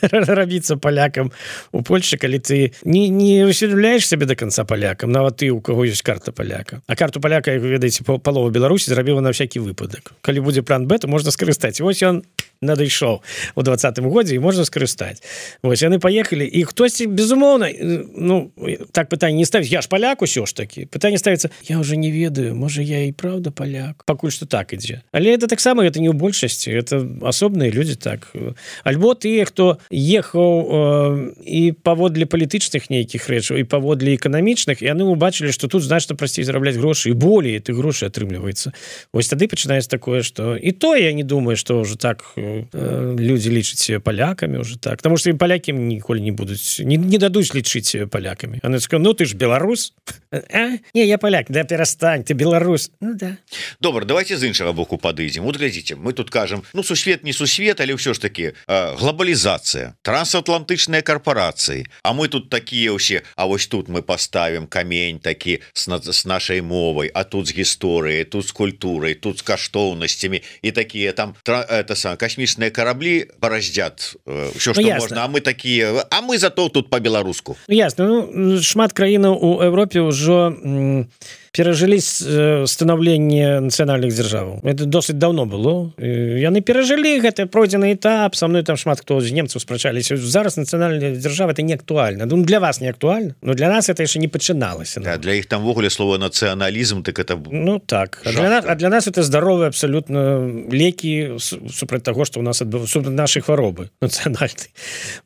рабіцца палякам у Польшчы, калі ты не, не усведамляеш сябе до конца палякам, нават ты, у каго ёсць карта паляка. А карту паляка, як вы ведаеце, палова Беларусі зрабіла на всякі выпадак. Калі будзе план Б, то можна скарыстаць. Вось ён надышоў у двадцатым годзе і можна скарыстаць. Вось яны паехалі, і хтосьці, безумоўна, ну, так пытанне не ставіць, я ж паляк усё ж такі. Пытанне ставіцца, я уже не ведаю, можа, я і праўда паляк. Пакуль што так ідзе. Але это таксама, это не ў большасці, это асобныя людзі так. Альбо тыя, хто ехаў э, і паводле палітычных нейкіх рэчаў, і паводле эканамічных, і яны убачылі, што тут значна прасцей зарабляць грошы, і болей ты грошы атрымліваецца. Вось тады пачынаецца такое, што і то я не думаю, што ўжо так людзі лічаць палякамі уже так, потому что ім палякі ніколі не будуць не, не дадуць лічыць палякамі. А ну ты ж беларус? А? Не, я паляк, да перастань, ты беларус. Ну да. Добра, давайте з іншага боку падыдзем. Вот глядзіце, мы тут кажам, ну сусвет не сусвет, але ўсё ж таки э, глобалізацыя, трансатлантычныя карпорацыі. А мы тут такія ўсе, а вось тут мы поставім камень такі с, с нашай мовай, а тут з гісторыяй, тут з культурай, тут з каштоўнасцямі і такія там это сам касмічныя караблі бараздзят ўсё, што ну, можна, а мы такія, а мы зато гатоў тут по-беларуску. Ясно, ну, шмат краінаў у Европе ўжо перажылі станаўленне нацыянальных дзяржаваў. Это досыць давно было. Яны перажылі гэты пройдзены этап. Са мной там шмат хто з немцаў спрачаліся. Зараз нацыянальная дзяржава это не актуальна. Ну, для вас не актуальна, но для нас это яшчэ не пачыналася. Да, для іх там ввогуле слово нацыяналізм, так это ну так. А для, нас, а для нас это здаровыя абсалютна лекі супраць таго, што у нас адбыв... супраць нашай хваробы нацыянальнай.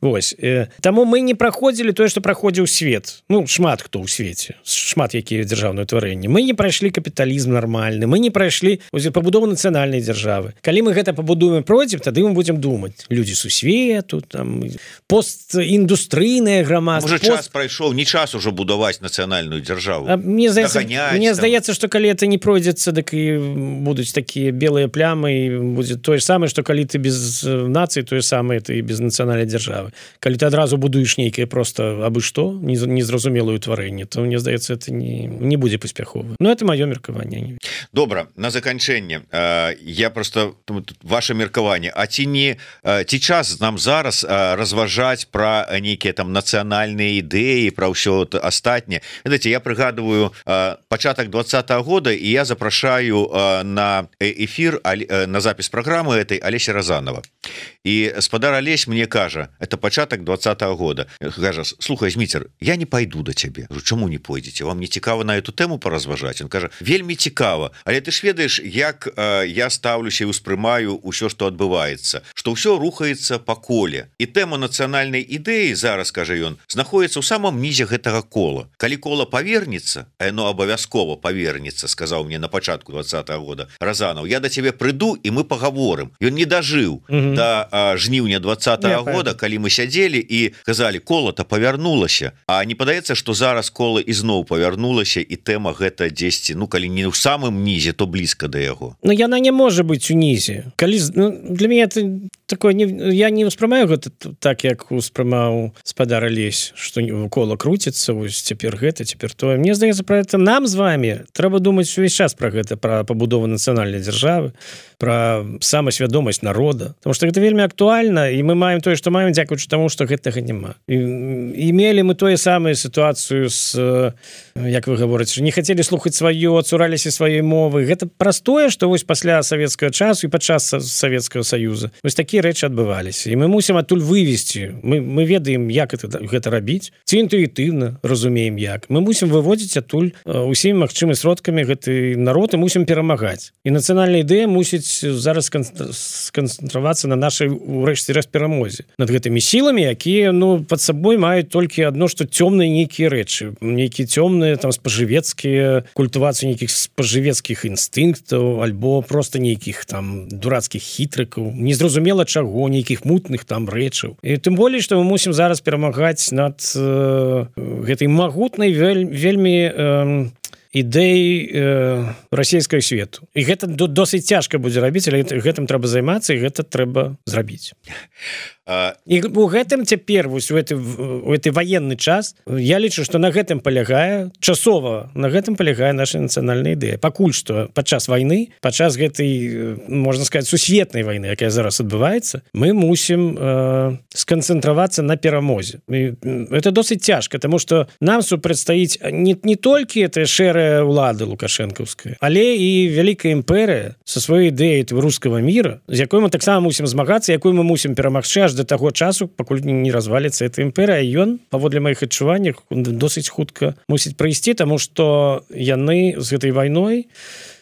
Вось. Таму мы не праходзілі тое, што праходзіў свет. Ну, шмат хто ў свеце. Шмат якія дзяржаўныя тварэнні. Мы не прайшлі капіталізм нармальны, мы не прайшлі пабудову нацыянальнай дзяржавы. Калі мы гэта пабудуем, пройдзем, тады мы будзем думаць. Людзі сусвету, там постіндустрыйнае грамадства. Можа, пост... час прайшоў, не час ужо будаваць нацыянальную дзяржаву. А мне здаецца, мне здаецца, што калі это не пройдзецца, дык і будуць такія белыя плямы, і будзе тое самае, што калі ты без нацыі, тое самае ты і без нацыянальнай дзяржавы. Калі ты адразу будуеш нейкае просто абы што, незразумелую тварэнне, то мне здаецца, это не, не будзе паспяхова. Ну, это маё меркаванне. Добра, на заканчэнне. Я просто... Ваше меркаванне. А ці не... Ці час нам зараз разважаць пра нейкія там нацыянальныя ідэі, пра ўсё астатняе. Ведаеце, я прыгадываю пачатак двадцатого года, і я запрашаю на эфир, на запіс праграмы этой Алеся Разанова. І спадар Алесь мне кажа, это пачатак двадцатого года. Кажа, слухай, Зміцер, я не пайду да цябе. Чаму не пойдзеце? Вам не цікава на эту тэму паразважаць? Он кажа, вельмі цікава. Але ты ж ведаеш, як э, я стаўлюся і ўспрымаю ўсё, што адбываецца, што ўсё рухаецца па коле. І тэма нацыянальнай ідэі, зараз, кажа ён, знаходзіцца ў самом нізе гэтага кола. Калі кола павернецца, а яно абавязкова павернецца, сказаў мне на пачатку двадцатого года Разанов, я да цябе прыйду і мы пагаворым. Ён не дажыў mm-hmm. да а, жніўня двадцатого года, калі мы сядзелі і казалі, кола-то павярнулася. А не падаецца, што зараз кола ізноў павярнулася, і тэма гэта дзесьці, ну, калі не ў самым нізе, то блізка да яго. Ну, яна не можа быць унізе. Калі, ну, для мяне это такое, не, я не ўспрымаю гэта так, як успрымаў спадар Алесь, што кола круціцца, вось цяпер гэта, цяпер тое. Мне здаецца, пра гэта нам з вами трэба думаць увесь час пра гэта, пра пабудову нацыянальнай дзяржавы, пра самасвядомасць народа. Потому што гэта вельмі актуальна, і мы маем тое, што маем, дзякуючы таму, што гэтага няма. І, і мелі мы тое самае сітуацыю з, як вы гаворыце, не хацелі слухаць сваё, цураліся сваёй мовы. Гэта простое, што вось пасля савецкага часу і падчас Савецкага Саюза вось такія рэчы адбываліся. І мы мусім адтуль вывесці. Мы, мы ведаем, як это, гэта рабіць. Ці інтуітыўна разумеем, як. Мы мусім выводзіць адтуль усімі магчымымі сродкамі гэты народ і мусім перамагаць. І нацыянальная ідэя мусіць зараз сканцэнтравацца на нашай, урэшце рэшт, перамозе. Над гэтымі сіламі, якія, ну, пад сабой маюць толькі адно, што цёмныя нейкія рэчы. Нейкія цёмныя, там, спажывецкія, культывацыі нейкіх спажывецкіх інстынктаў, альбо просто нейкіх там дурацкіх хітрыкаў, незразумела чаго, нейкіх мутных там рэчаў. І тым болей, што мы мусім зараз перамагаць над э, гэтай магутнай вель, вельмі э, ідэй э, расійскага свету. І гэта досыць цяжка будзе рабіць, але гэтым трэба займацца, і гэта трэба зрабіць. І у гэтым цяпер вось у гэты, у гэты ваенны час я лічу, што на гэтым палягае часова, на гэтым палягае наша нацыянальная ідэя. Пакуль што падчас вайны, падчас гэтай, можна сказаць, сусветнай вайны, якая зараз адбываецца, мы мусім э, сканцэнтравацца на перамозе. І это досыць цяжка, таму што нам супрацьстаіць не, не толькі эта шэрая ўлада лукашэнкаўская, але і вялікая імперыя са сваёй ідэяй рускага міра, з якой мы таксама мусім змагацца, якой мы мусім перамагчы аж да таго часу, пакуль не разваліцца эта імперыя. Ён, паводле маіх адчуванняў, досыць хутка мусіць прыйсці, таму што яны з гэтай вайной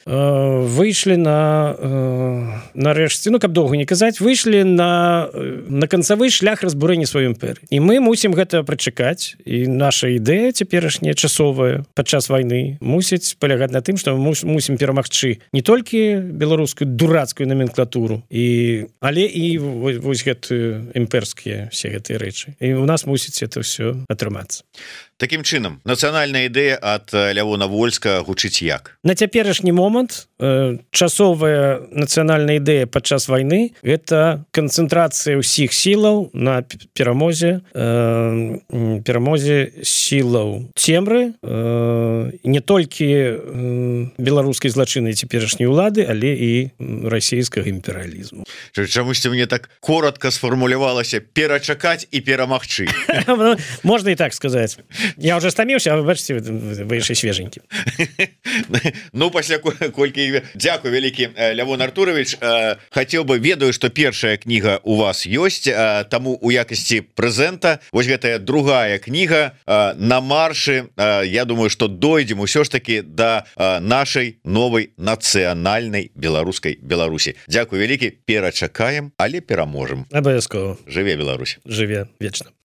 выйшлі на нарэшце, ну, каб доўга не казаць, выйшлі на, на канцавы шлях разбурэння сваёй імперыі. І мы мусім гэта прачакаць, і наша ідэя цяперашняя часовая падчас вайны мусіць палягаць на тым, што мы мусім перамагчы не толькі беларускую дурацкую номенклатуру, і, але і вось, вось гэтыя імперскія все гэтыя рэчы. І у нас мусіць это ўсё атрымацца. Такім чынам, нацыянальная ідэя ад Лявона Вольска гучыць як? На цяперашні момант э, часовая нацыянальная ідэя падчас вайны гэта канцэнтрацыя ўсіх сілаў на перамозе э, перамозе сілаў цемры э, не толькі э, беларускай злачыннай цяперашняй улады, але і расійскага імперыялізму. Чамусьці мне так коротко сфармулявалася перачакаць і перамагчы. Можна і так сказаць. Я уже стаміўся, а вы бачыце, вы яшчэ свеженькі. Ну пасля колькі дзякуй вялікі Лявон Артурович, хацеў бы, ведаю, што першая кніга у вас ёсць, таму у якасці прэзента вось гэтая другая кніга на маршы, я думаю, што дойдзем усё ж таки да нашай новай нацыянальнай беларускай Беларусі. Дзякуй вялікі, перачакаем, але пераможам. Абавязкова. Жыве Беларусь. Жыве вечна.